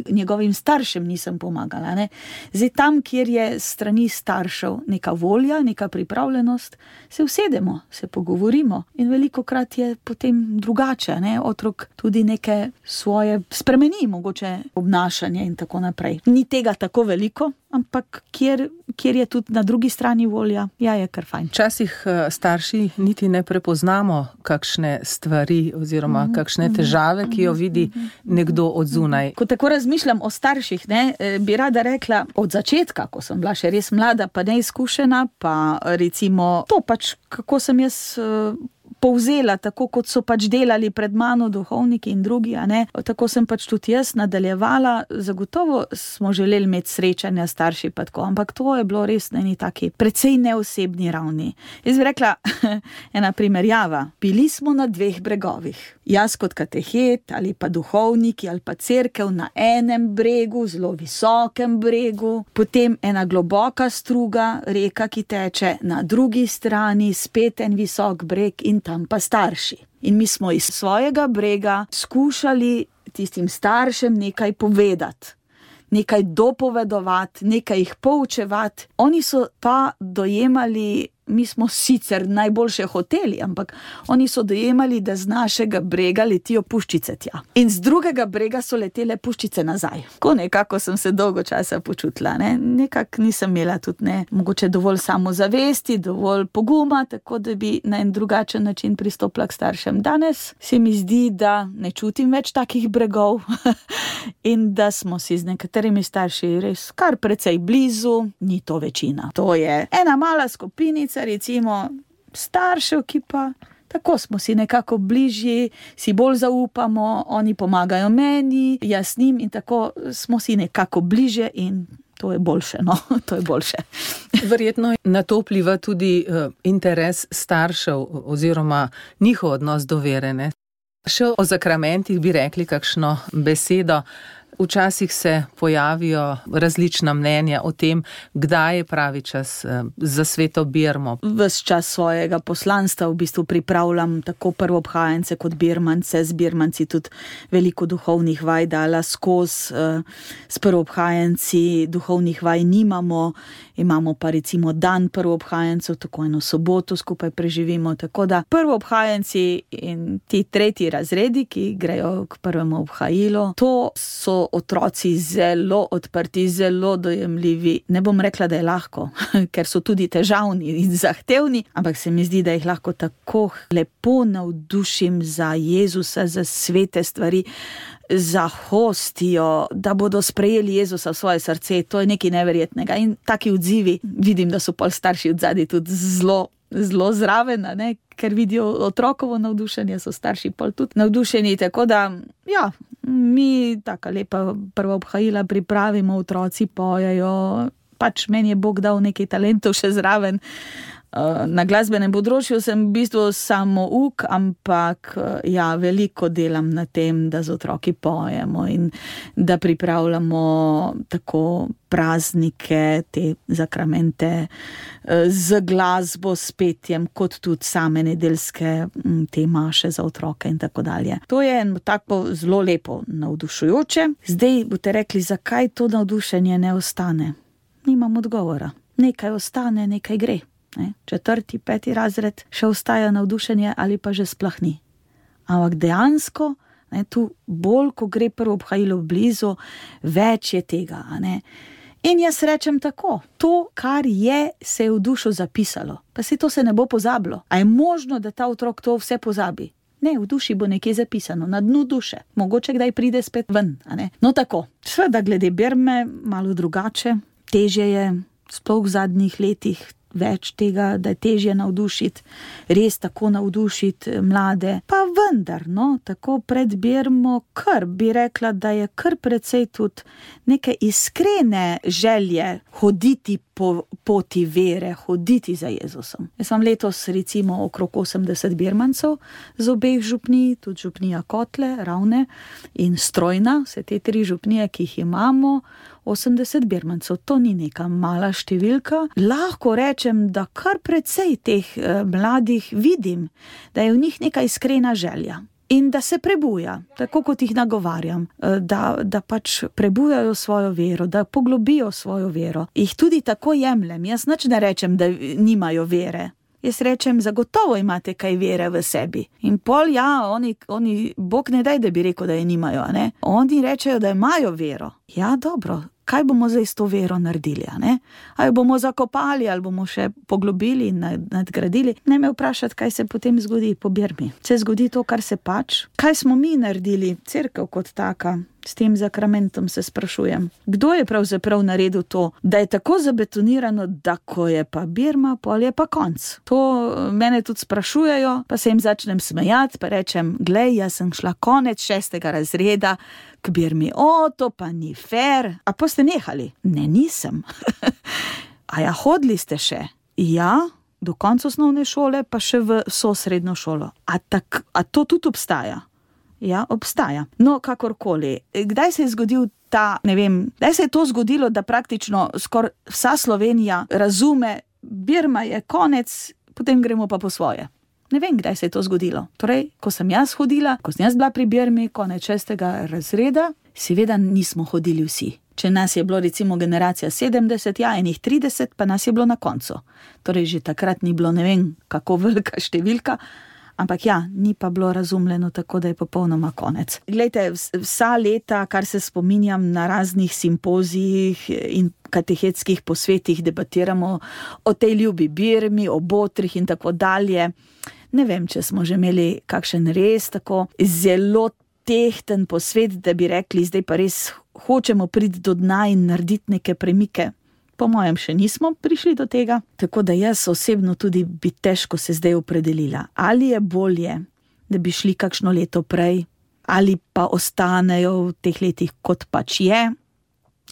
njegovim staršem nisem pomagala, ne. Zdaj tam, kjer je strani staršev neka volja, neka pripravljenost, se usedemo, se pogovorimo in velikokrat je potem drugače, ne. Otrok tudi neke svoje spremeni, mogoče obnašanje in tako naprej. Ni tega tako veliko, ampak kjer, kjer je tudi na drugi strani volja, ja, je kar fajn. Včasih starši niti ne prepoznamo kakšne stvari oziroma mm-hmm. kakšne težave, ki jo vidi nekdo od zunaj. Ko tako razmišljam o starših, ne, bi rada rekla od začetka, ko sem bila še res mlada, pa neizkušena, pa recimo to pač, kako sem jaz povzela, tako kot so pač delali pred mano duhovniki in drugi, a ne, tako sem pač tudi jaz nadaljevala. Zagotovo smo želeli imeti srečanja starši pa tako, ampak to je bilo res na eni taki precej neosebni ravni. Jaz bi rekla, ena primerjava, bili smo na dveh bregovih. Jaz kot katehet ali pa duhovniki ali pa cerkev na enem bregu, zelo visokem bregu, potem ena globoka struga, reka, ki teče na drugi strani, spet en visok breg in tam pa starši. In mi smo iz svojega brega skušali tistim staršem nekaj povedati, nekaj dopovedovati, nekaj jih poučevati. Oni so pa dojemali, mi smo sicer najboljše hoteli, ampak oni so dojemali, da z našega brega letijo puščice tja. In z drugega brega so letele puščice nazaj. Ko nekako sem se dolgo časa počutila, ne, nekako nisem imela tudi ne, mogoče dovolj samozavesti, dovolj poguma, tako da bi na en drugačen način pristopila k staršem. Danes se mi zdi, da ne čutim več takih bregov in da smo si z nekaterimi starši res kar precej blizu, ni to večina. To je ena mala skupinica, recimo staršev, ki pa tako smo si nekako bližji, si bolj zaupamo, oni pomagajo meni, jaz njim in tako smo si nekako bližje in to je boljše, no, to je boljše. Verjetno na to vpliva tudi uh, interes staršev oziroma njihov odnos do vere, ne? Še o zakramentih bi rekli kakšno besedo. Včasih se pojavijo različna mnenja o tem, kdaj je pravi čas za sveto birmo. Ves čas svojega poslanstva v bistvu pripravljam tako prvoobhajence kot birmance, z birmanci tudi veliko duhovnih vaj dala skozi, s prvoobhajenci duhovnih vaj nimamo, imamo pa recimo dan prvoobhajencev, tako eno soboto skupaj preživimo, tako da prvoobhajenci in ti tretji razredi, ki grejo k prvemu obhajilu, to so otroci zelo odprti, zelo dojemljivi. Ne bom rekla, da je lahko, ker so tudi težavni in zahtevni, ampak se mi zdi, da jih lahko tako lepo navdušim za Jezusa, za svete stvari, za hostijo, da bodo sprejeli Jezusa v svoje srce. To je nekaj neverjetnega. In taki odzivi, vidim, da so pol starši odzadaj tudi zelo, zelo zraven, ne? Ker vidijo otrokovo navdušenje, so starši pol tudi navdušeni, tako da, ja, mi taka lepa prva obhajila pripravimo, otroci pojejo, pač meni je Bog dal nekaj talentov še zraven. Na glasbenem področju sem v bistvu samo uk, ampak ja, veliko delam na tem, da z otroki pojemo in da pripravljamo tako praznike, te zakramente z glasbo, s petjem, kot tudi same nedeljske te maše za otroke in tako dalje. To je tako zelo lepo navdušujoče. Zdaj boste rekli, zakaj to navdušenje ne ostane? Nimam odgovora. Nekaj ostane, nekaj gre. Ne, četrti, peti razred še ostaja navdušenje ali pa že sploh ni. Ampak dejansko, ne, tu bolj, ko gre prvo obhajilo blizu, več je tega. Ne. In jaz rečem tako, to, kar je, se je v dušo zapisalo. Pa si to se ne bo pozabilo. A je možno, da ta otrok to vse pozabi? Ne, v duši bo nekje zapisano, na dnu duše. Mogoče kdaj pride spet ven. A ne. No tako, seveda glede birme, malo drugače, težje je, sploh v zadnjih letih, več tega, da je težje navdušiti, res tako navdušiti mlade. Pa vendar, no, tako pred birmo kar bi rekla, da je kar precej tudi neke iskrene želje hoditi po poti vere, hoditi za Jezusom. Jaz sem letos recimo okrog osemdeset birmancev z obeh župnij, tudi župnija Kotle, Ravne in Strojna, vse te tri župnije, ki jih imamo, osemdeset birmancev, to ni neka mala številka. Lahko rečem, da kar precej teh eh, mladih vidim, da je v njih neka iskrena želja in da se prebuja, tako kot jih nagovarjam, eh, da, da pač prebujajo svojo vero, da poglobijo svojo vero. Jih tudi tako jemljem, jaz nič ne rečem, da nimajo vere. Jaz rečem, zagotovo imate kaj vere v sebi. In pol, ja, oni, oni Bog ne daj, da bi rekel, da je nimajo, ne? Oni rečejo, da imajo vero. Ja, dobro, kaj bomo zdaj s to vero naredili, ne? Ali bomo zakopali, ali bomo še poglobili in nadgradili? Ne me vprašati, kaj se potem zgodi po birmi. Se zgodi to, kar se pač. Kaj smo mi naredili, cerkev kot taka? S tem zakramentom se sprašujem. Kdo je pravzaprav naredil to, da je tako zabetonirano, da ko je pa birma, pol je pa konc? To mene tudi sprašujejo, pa se jim začnem smejati, pa rečem, glej, jaz sem šla konec šestega razreda k birmi. O, to pa ni fair. A pa ste nehali? Ne, nisem. A ja, hodili ste še? Ja, do konca osnovne šole, pa še v vso srednjo šolo. A, tak, a to tudi obstaja? Ja, obstaja. No, kakorkoli. Kdaj se je zgodil ta, ne vem, kdaj se je to zgodilo, da praktično skoraj vsa Slovenija razume, birma je konec, potem gremo pa po svoje. Ne vem, kdaj se je to zgodilo. Torej, ko sem jaz hodila, ko sem jaz bila pri birmi, konec šestega razreda, seveda nismo hodili vsi. Če nas je bilo recimo generacija sedemdeset, ja, enih trideset, pa nas je bilo na koncu. Torej, že takrat ni bilo ne vem, kako velika številka, ampak ja, ni pa bilo razumljeno tako, da je popolnoma konec. Glejte, vsa leta, kar se spominjam na raznih simpozijih in katehetskih posvetih, debatiramo o tej ljubi birmi, o botrih in tako dalje. Ne vem, če smo že imeli kakšen res tako zelo tehten posvet, da bi rekli, zdaj pa res hočemo priti do dna in narediti neke premike. Po mojem še nismo prišli do tega, tako da jaz osebno tudi bi težko se zdaj opredelila. Ali je bolje, da bi šli kakšno leto prej, ali pa ostanejo v teh letih kot pač je.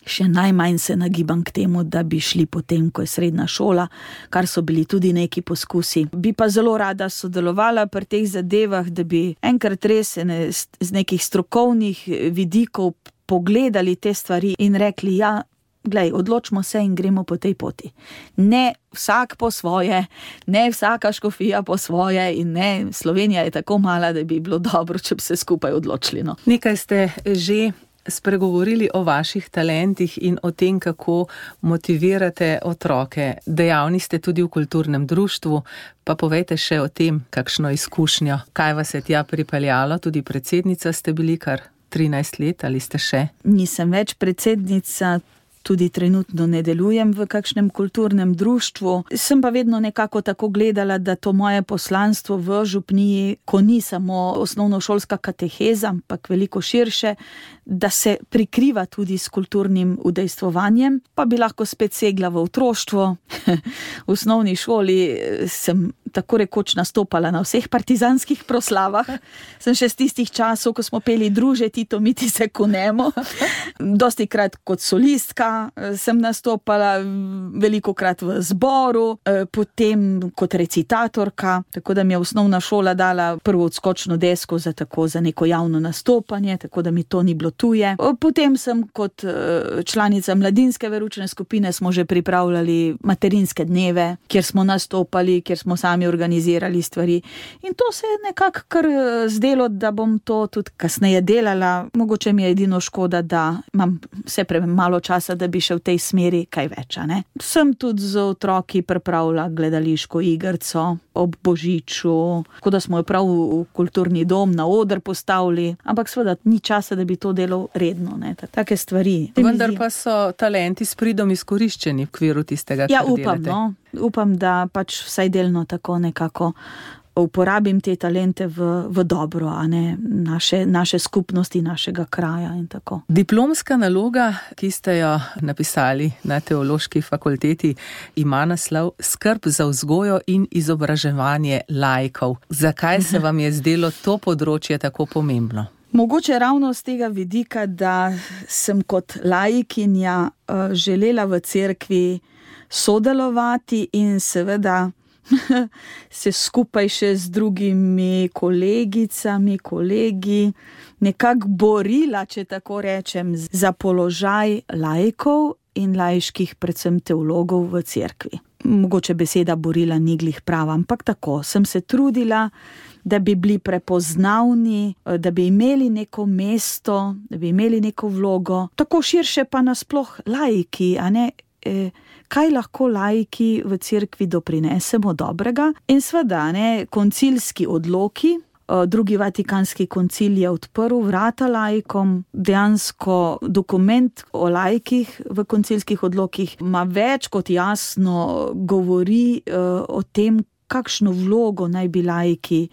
Še najmanj se nagibam k temu, da bi šli potem, ko je srednja šola, kar so bili tudi neki poskusi. Bi pa zelo rada sodelovala pri teh zadevah, da bi enkrat res ne, z nekih strokovnih vidikov pogledali te stvari in rekli, ja, glej, odločimo se in gremo po tej poti. Ne vsak po svoje, ne vsaka škofija po svoje in ne, Slovenija je tako mala, da bi bilo dobro, če bi se skupaj odločili. No. Nekaj ste že spregovorili o vaših talentih in o tem, kako motivirate otroke. Dejavni ste tudi v kulturnem društvu, pa povejte še o tem, kakšno izkušnjo. Kaj vas je tja pripeljalo? Tudi predsednica ste bili kar trinajst let, ali ste še? Nisem več predsednica, tudi trenutno ne delujem v kakšnem kulturnem društvu. Sem pa vedno nekako tako gledala, da to moje poslanstvo v župniji, ko ni samo osnovnošolska kateheza, ampak veliko širše, da se prikriva tudi s kulturnim udejstvovanjem, pa bi lahko spet segla v otroštvo. V osnovni šoli sem tako rekoč nastopala na vseh partizanskih proslavah. Sem še z tistih časov, ko smo peli Druže Tito, mi ti se kunemo. Dostikrat kot solistka sem nastopala, velikokrat v zboru, potem kot recitatorka, tako da mi je osnovna šola dala prvo odskočno desko za tako za neko javno nastopanje, tako da mi to ni bilo tuje. Potem sem kot članica mladinske veroučne skupine smo že pripravljali materinske dneve, kjer smo nastopali, kjer smo sami organizirali stvari. In to se je nekako kar zdelo, da bom to tudi kasneje delala. Mogoče mi je edino škoda, da imam vse premalo časa, da bi še v tej smeri kaj več. Ne? Sem tudi z otroki pripravila gledališko igrico ob Božiču, tako da smo jo prav v kulturni dom na oder postavili, ampak seveda ni časa, da bi to delal redno. Ne? Take stvari. Vendar pa so talenti s pridom izkoriščeni v okviru tistega, ja, kar upam, delate. No. Upam, da pač vsaj delno tako nekako uporabim te talente v, v dobro, a ne naše, naše skupnosti, našega kraja in tako. Diplomska naloga, ki ste jo napisali na Teološki fakulteti, ima naslov Skrb za vzgojo in izobraževanje laikov. Zakaj se vam je zdelo to področje tako pomembno? Mogoče ravno z tega vidika, da sem kot laikinja uh, želela v cerkvi sodelovati in seveda se skupaj še z drugimi kolegicami, kolegi nekako borila, če tako rečem, za položaj laikov in laiških, predvsem teologov v cerkvi. Mogoče beseda borila ni glih prava, ampak tako, sem se trudila, da bi bili prepoznavni, da bi imeli neko mesto, da bi imeli neko vlogo, tako širše pa nasploh laiki, a ne, eh, kaj lahko laiki v cerkvi doprinesemo dobrega. In seveda, ne, koncilski odloki, drugi Vatikanski koncil je odprl vrata laikom, dejansko dokument o laikih v koncilskih odlokih ima več kot jasno govori uh, o tem, kakšno vlogo naj bi laiki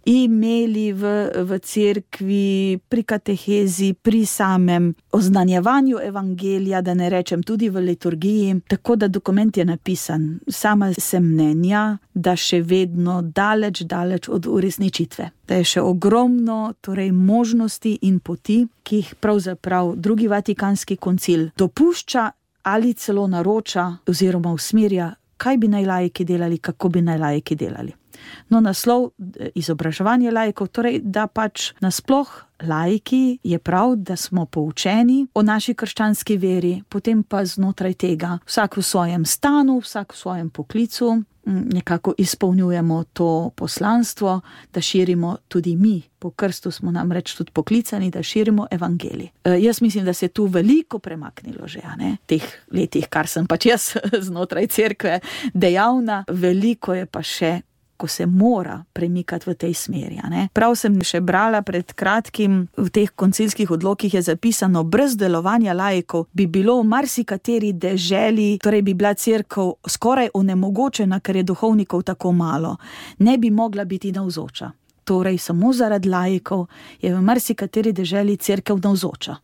imeli v, v cerkvi, pri katehezi, pri samem oznanjevanju evangelija, da ne rečem tudi v liturgiji, tako da dokument je napisan. Sama sem mnenja, da še vedno daleč, daleč od uresničitve. Da je še ogromno torej možnosti in poti, ki jih pravzaprav drugi Vatikanski koncil dopušča ali celo naroča oziroma usmerja, kaj bi naj laiki delali, kako bi naj laiki delali. No, naslov izobraževanje laikov, torej, da pač nasploh laiki je prav, da smo poučeni o naši krščanski veri, potem pa znotraj tega vsak v svojem stanu, vsak v svojem poklicu, nekako izpolnjujemo to poslanstvo, da širimo tudi mi. Po krstu smo namreč tudi poklicani, da širimo evangelij. E, jaz mislim, da se je tu veliko premaknilo že, a ne, teh letih, kar sem pač jaz znotraj cerkve dejavna, veliko je pa še, ko se mora premikati v tej smeri. Ne? Prav sem še brala pred kratkim, v teh koncilskih odlokih je zapisano, brez delovanja laikov bi bilo v marsikateri deželi, torej bi bila cerkev skoraj onemogočena, ker je duhovnikov tako malo, ne bi mogla biti navzoča. Torej samo zaradi laikov je v marsikateri deželi cerkev navzoča.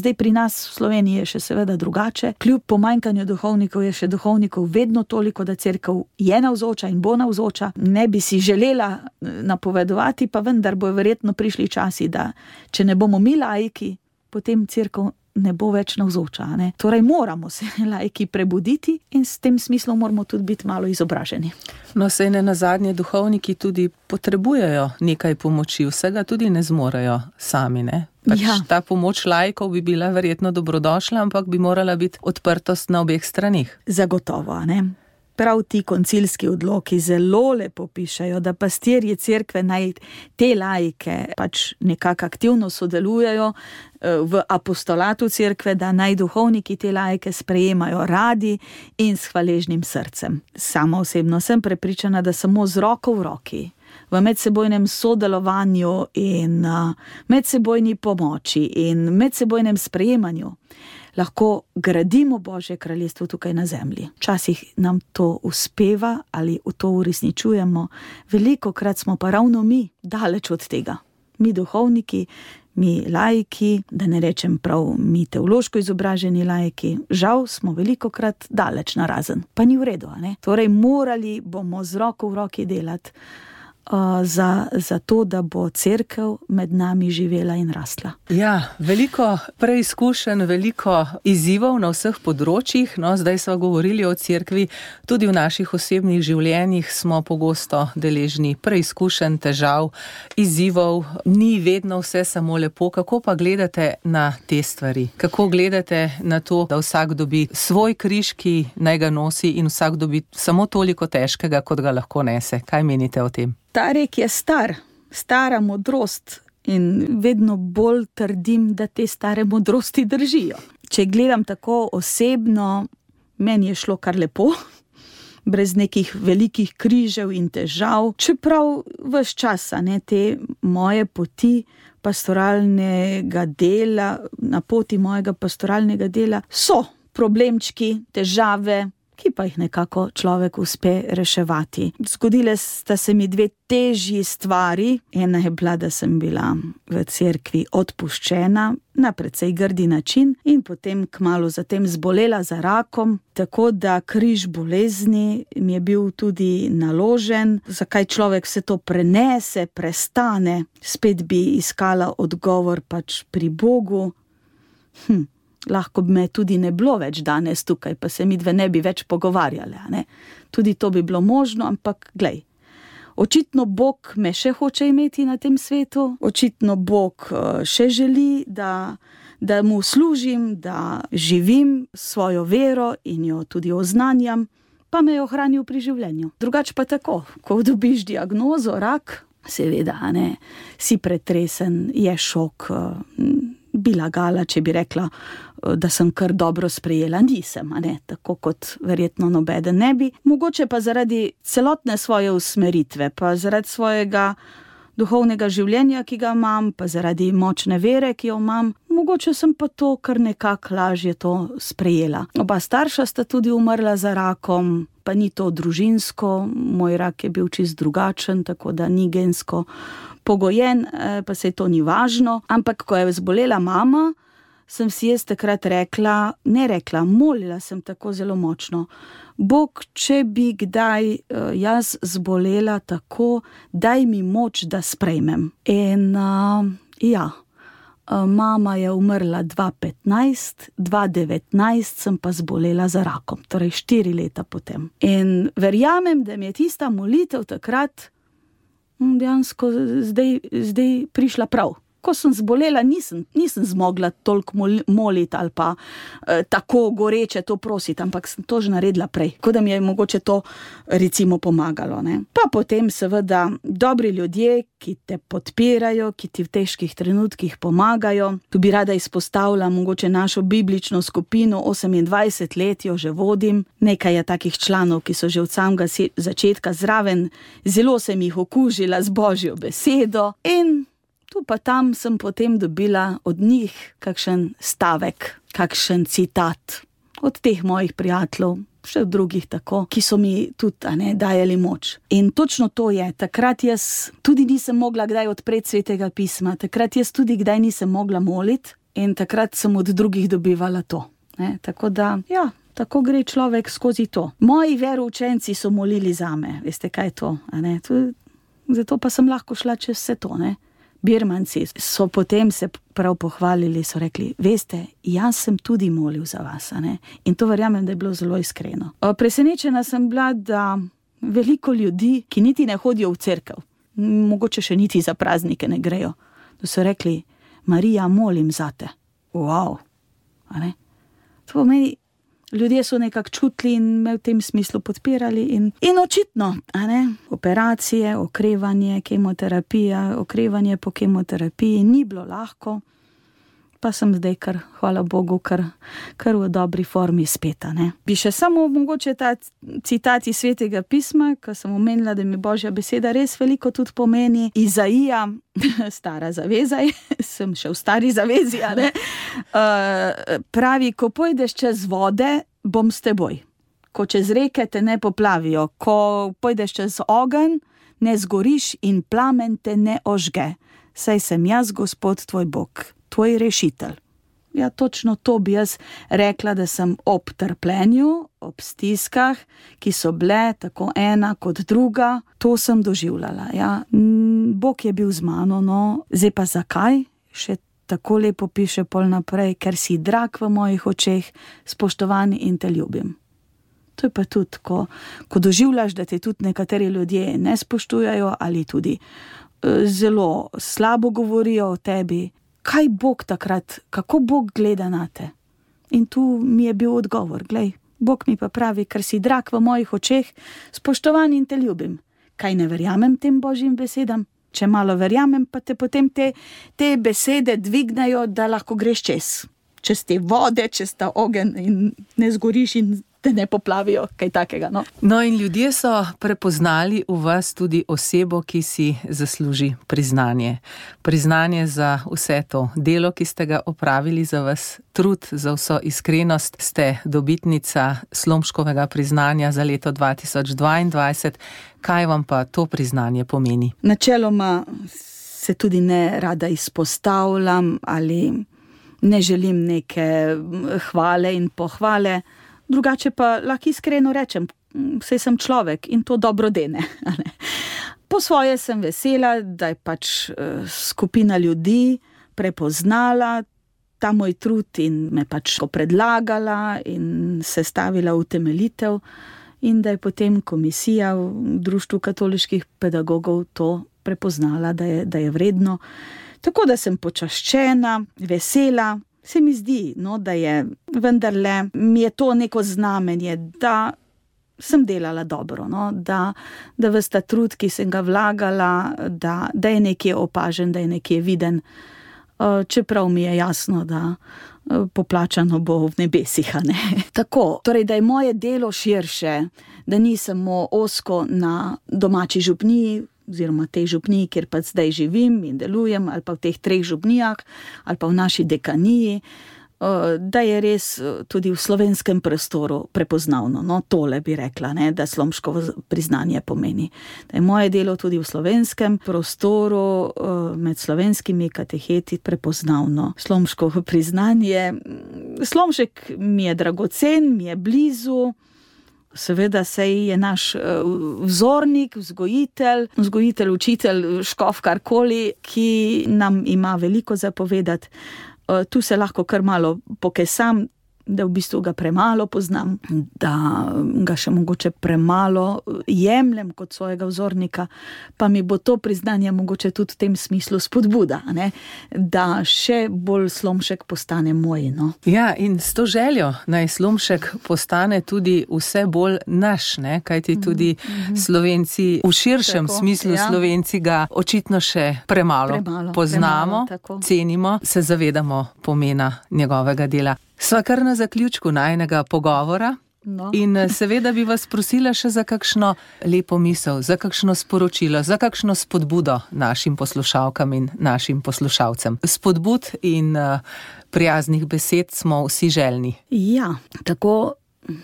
Zdaj pri nas v Sloveniji je še seveda drugače. Kljub pomanjkanju duhovnikov je še duhovnikov vedno toliko, da cerkev je navzoča in bo navzoča. Ne bi si želela napovedovati, pa vendar bo verjetno prišli časi, da če ne bomo mi laiki, potem cerkev ne bo več navzoča. Ne? Torej moramo se laiki prebuditi in s tem smislom moramo tudi biti malo izobraženi. No, saj ne nazadnje duhovniki tudi potrebujejo nekaj pomoči, vsega tudi ne zmorejo sami, ne? Pač Ja. ta pomoč laikov bi bila verjetno dobrodošla, ampak bi morala biti odprtost na obeh stranih. Zagotovo, ne? Prav ti koncilski odloki zelo lepo pišejo, da pastirji cerkve naj te laike pač nekako aktivno sodelujejo eh, v apostolatu cerkve, da naj duhovniki te laike sprejemajo radi in s hvaležnim srcem. Sama osebno sem prepričana, da samo z roko v roki, v medsebojnem sodelovanju in uh, medsebojni pomoči in medsebojnem sprejemanju lahko gradimo Božje kraljestvo tukaj na zemlji. Včasih nam to uspeva ali to uresničujemo, velikokrat smo pa ravno mi daleč od tega. Mi duhovniki, mi laiki, da ne rečem prav mi teološko izobraženi laiki, žal smo velikokrat daleč narazen. Pa ni v redu, a ne? Torej morali bomo z roko v roki delati Uh, za, za to, da bo cerkev med nami živela in rastla. Ja, veliko preizkušenj, veliko izzivov na vseh področjih. No, zdaj smo govorili o cerkvi, tudi v naših osebnih življenjih smo pogosto deležni preizkušenj, težav, izzivov. Ni vedno vse samo lepo. Kako pa gledate na te stvari? Kako gledate na to, da vsak dobi svoj križ, ki naj ga nosi, in vsak dobi samo toliko težkega, kot ga lahko nese? Kaj menite o tem? Ta rek je star, stara modrost in vedno bolj trdim, da te stare modrosti držijo. Če gledam tako osebno, meni je šlo kar lepo, brez nekih velikih križev in težav, čeprav ves čas, ne, te moje poti pastoralnega dela, na poti mojega pastoralnega dela so problemčki, težave, ki pa jih nekako človek uspe reševati. Zgodile sta se mi dve težji stvari. Ena je bila, da sem bila v cerkvi odpuščena na precej grdi način in potem kmalu zatem zbolela za rakom, tako da križ bolezni mi je bil tudi naložen. Zakaj človek vse to prenese, prestane? Spet bi iskala odgovor pač pri Bogu. Hm. Lahko bi me tudi ne bilo več danes tukaj, pa se mi dve ne bi več pogovarjale. Ne? Tudi to bi bilo možno, ampak glej, očitno Bog me še hoče imeti na tem svetu, očitno Bog še želi, da, da mu služim, da živim svojo vero in jo tudi oznanjam, pa me je ohranil pri življenju. Drugače pa tako, ko dobiš diagnozo, rak, seveda, ne, si pretresen, je šok, bi lagala, če bi rekla, da sem kar dobro sprejela. Nisem, a ne, tako kot verjetno nobeden ne bi. Mogoče pa zaradi celotne svoje usmeritve, pa zaradi svojega duhovnega življenja, ki ga imam, pa zaradi močne vere, ki jo imam, mogoče sem pa to kar nekako lažje to sprejela. Oba starša sta tudi umrla za rakom, pa ni to družinsko, moj rak je bil čist drugačen, tako da ni gensko pogojen, pa se to ni važno. Ampak ko je zbolela mama, sem si jaz takrat rekla, ne rekla, molila sem tako zelo močno. Bog, če bi kdaj jaz zbolela tako, daj mi moč, da sprejmem. In uh, ja, mama je umrla dva petnajst, dva devetnajst sem pa zbolela za rakom, torej štiri leta potem. In verjamem, da mi je tista molitev takrat dejansko zdaj, zdaj prišla prav. Ko sem zbolela, nisem, nisem zmogla toliko moliti ali pa eh, tako goreče to prositi, ampak sem to že naredila prej, ko da mi je mogoče to recimo pomagalo. Ne? Pa potem seveda dobri ljudje, ki te podpirajo, ki ti v težkih trenutkih pomagajo. Tu bi rada izpostavila mogoče našo biblično skupino, osemindvajset let jo že vodim. Nekaj je takih članov, ki so že od samega začetka zraven, zelo sem jih okužila z Božjo besedo in tu pa tam sem potem dobila od njih kakšen stavek, kakšen citat od teh mojih prijateljev, še od drugih tako, ki so mi tudi a ne, dajali moč. In točno to je, takrat jaz tudi nisem mogla kdaj odpreti Svetega pisma, takrat jaz tudi kdaj nisem mogla moliti in takrat sem od drugih dobivala to. Ne? Tako da, ja, tako gre človek skozi to. Moji veroučenci so molili zame, veste kaj je to, a ne? Zato pa sem lahko šla čez vse to, ne? Birmanci so potem se prav pohvalili, so rekli, veste, jaz sem tudi molil za vas, ne? In to verjamem, da je bilo zelo iskreno. Presenečena sem bila, da veliko ljudi, ki niti ne hodijo v cerkev, mogoče še niti za praznike ne grejo, da so rekli, Marija, molim zate. Wow. A ne? To pomeni, ljudje so nekako čutili in me v tem smislu podpirali in, in očitno, a ne? Operacije, okrevanje, kemoterapija, okrevanje po kemoterapiji ni bilo lahko, pa sem zdaj kar, hvala Bogu, kar, kar v dobri formi spet, a ne. Bi še samo mogoče ta citat iz Svetega pisma, ko sem omenila, da mi Božja beseda res veliko tudi pomeni. Izaija, stara zaveza, sem še v stari zavezi, a ne, uh, pravi, ko pojdeš čez vode, bom s teboj. Ko čez reke te ne poplavijo, ko pojdeš čez ogenj, ne zgoriš in plamen te ne ožge. Saj sem jaz, Gospod tvoj Bog, tvoj rešitelj. Ja, točno to bi jaz rekla, da sem ob trpljenju, ob stiskah, ki so bile tako ena kot druga, to sem doživljala. Ja. Bog je bil z mano, no, zdaj pa zakaj? Še tako lepo piše pol naprej, ker si drag v mojih očeh, spoštovan in te ljubim. To je pa tudi, ko, ko doživljaš, da te tudi nekateri ljudje ne spoštujajo ali tudi uh, zelo slabo govorijo o tebi. Kaj Bog takrat, kako Bog gleda na te? In tu mi je bil odgovor, glej, Bog mi pa pravi, ker si drag v mojih očeh, spoštovan in te ljubim. Kaj ne verjamem tem Božjim besedam? Če malo verjamem, pa te potem te, te besede dvignajo, da lahko greš čez. Čez te vode, čez ta ogenj in ne zgoriš in te ne poplavijo, kaj takega, no. No in ljudje so prepoznali v vas tudi osebo, ki si zasluži priznanje. Priznanje za vse to delo, ki ste ga opravili, za vas trud, za vso iskrenost. Ste dobitnica Slomškovega priznanja za leto dva tisoč dvaindvajset. Kaj vam pa to priznanje pomeni? Načeloma se tudi ne rada izpostavljam ali ne želim neke hvale in pohvale. Drugače pa lahko iskreno rečem, saj sem človek in to dobro dene. Po svoje sem vesela, da je pač skupina ljudi prepoznala ta moj trud in me pač predlagala in sestavila utemeljitev in da je potem komisija v Društvu katoliških pedagogov to prepoznala, da je, da je vredno. Tako da sem počaščena, vesela. Se mi zdi, no, da je vendarle, mi je to neko znamenje, da sem delala dobro, no, da, da ves ta trud, ki sem ga vlagala, da, da je nekje opažen, da je nekje viden, čeprav mi je jasno, da poplačano bo v nebesih, a ne. Tako, torej, da je moje delo širše, da ni samo ozko na domači župniji, oziroma tej župniji, kjer pa zdaj živim in delujem, ali pa v teh treh župnijah, ali pa v naši dekaniji, da je res tudi v slovenskem prostoru prepoznavno. No, tole bi rekla, ne, da Slomškovo priznanje pomeni. Da je moje delo tudi v slovenskem prostoru med slovenskimi kateheti prepoznavno. Slomškovo priznanje, Slomšek mi je dragocen, mi je blizu, seveda sej je naš vzornik, vzgojitelj, vzgojitelj, učitelj, škof, karkoli, ki nam ima veliko zapovedati. Tu se lahko kar malo pokesam, da v bistvu ga premalo poznam, da ga še mogoče premalo jemljem kot svojega vzornika, pa mi bo to priznanje mogoče tudi v tem smislu spodbuda, ne? Da še bolj Slomšek postane moj. No? Ja, in s to željo naj Slomšek postane tudi vse bolj naš, ne? Kajti tudi mm-hmm. Slovenci, v širšem tako, smislu ja. Slovenci ga očitno še premalo, premalo poznamo, premalo, cenimo, se zavedamo pomena njegovega dela. Sva kar na zaključku najnega pogovora no. In seveda bi vas prosila še za kakšno lepo misel, za kakšno sporočilo, za kakšno spodbudo našim poslušalkam in našim poslušalcem. Spodbud in uh, prijaznih besed smo vsi željni. Ja, tako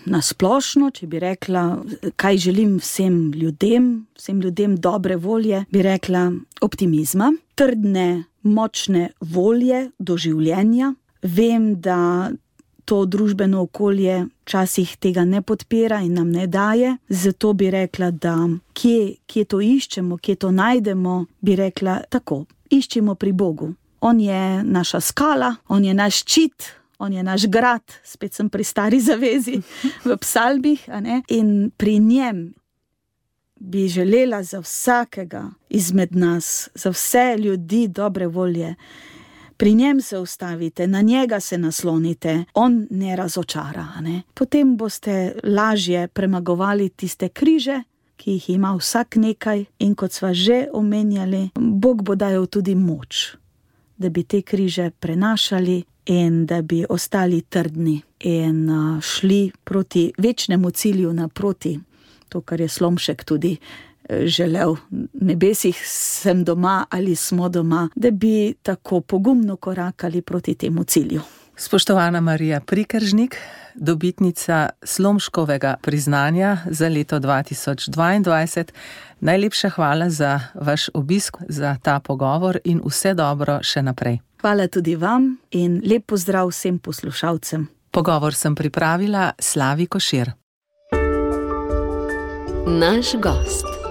nasplošno, če bi rekla, kaj želim vsem ljudem, vsem ljudem dobre volje, bi rekla optimizma, trdne, močne volje do življenja. Vem, da to družbeno okolje včasih tega ne podpira in nam ne daje, zato bi rekla, da kje, kje to iščemo, kje to najdemo, bi rekla tako, iščemo pri Bogu. On je naša skala, on je naš ščit, on je naš grad, spet sem pri stari zavezi v psalmih, a ne? In pri njem bi želela za vsakega izmed nas, za vse ljudi dobre volje, Pri njem se ustavite, na njega se naslonite, on ne razočara. Ne? Potem boste lažje premagovali tiste križe, ki jih ima vsak nekaj, in kot sva že omenjali, Bog bo dajal tudi moč, da bi te križe prenašali in da bi ostali trdni in šli proti večnemu cilju naproti, to, kar je Slomšek tudi želel, nebesih sem doma ali smo doma, da bi tako pogumno korakali proti temu cilju. Spoštovana Marija Prikeržnik, dobitnica Slomškovega priznanja za leto dva tisoč dvaindvajset, najlepša hvala za vaš obisk, za ta pogovor in vse dobro še naprej. Hvala tudi vam in lep pozdrav vsem poslušalcem. Pogovor sem pripravila Slavi Košir. Naš gost.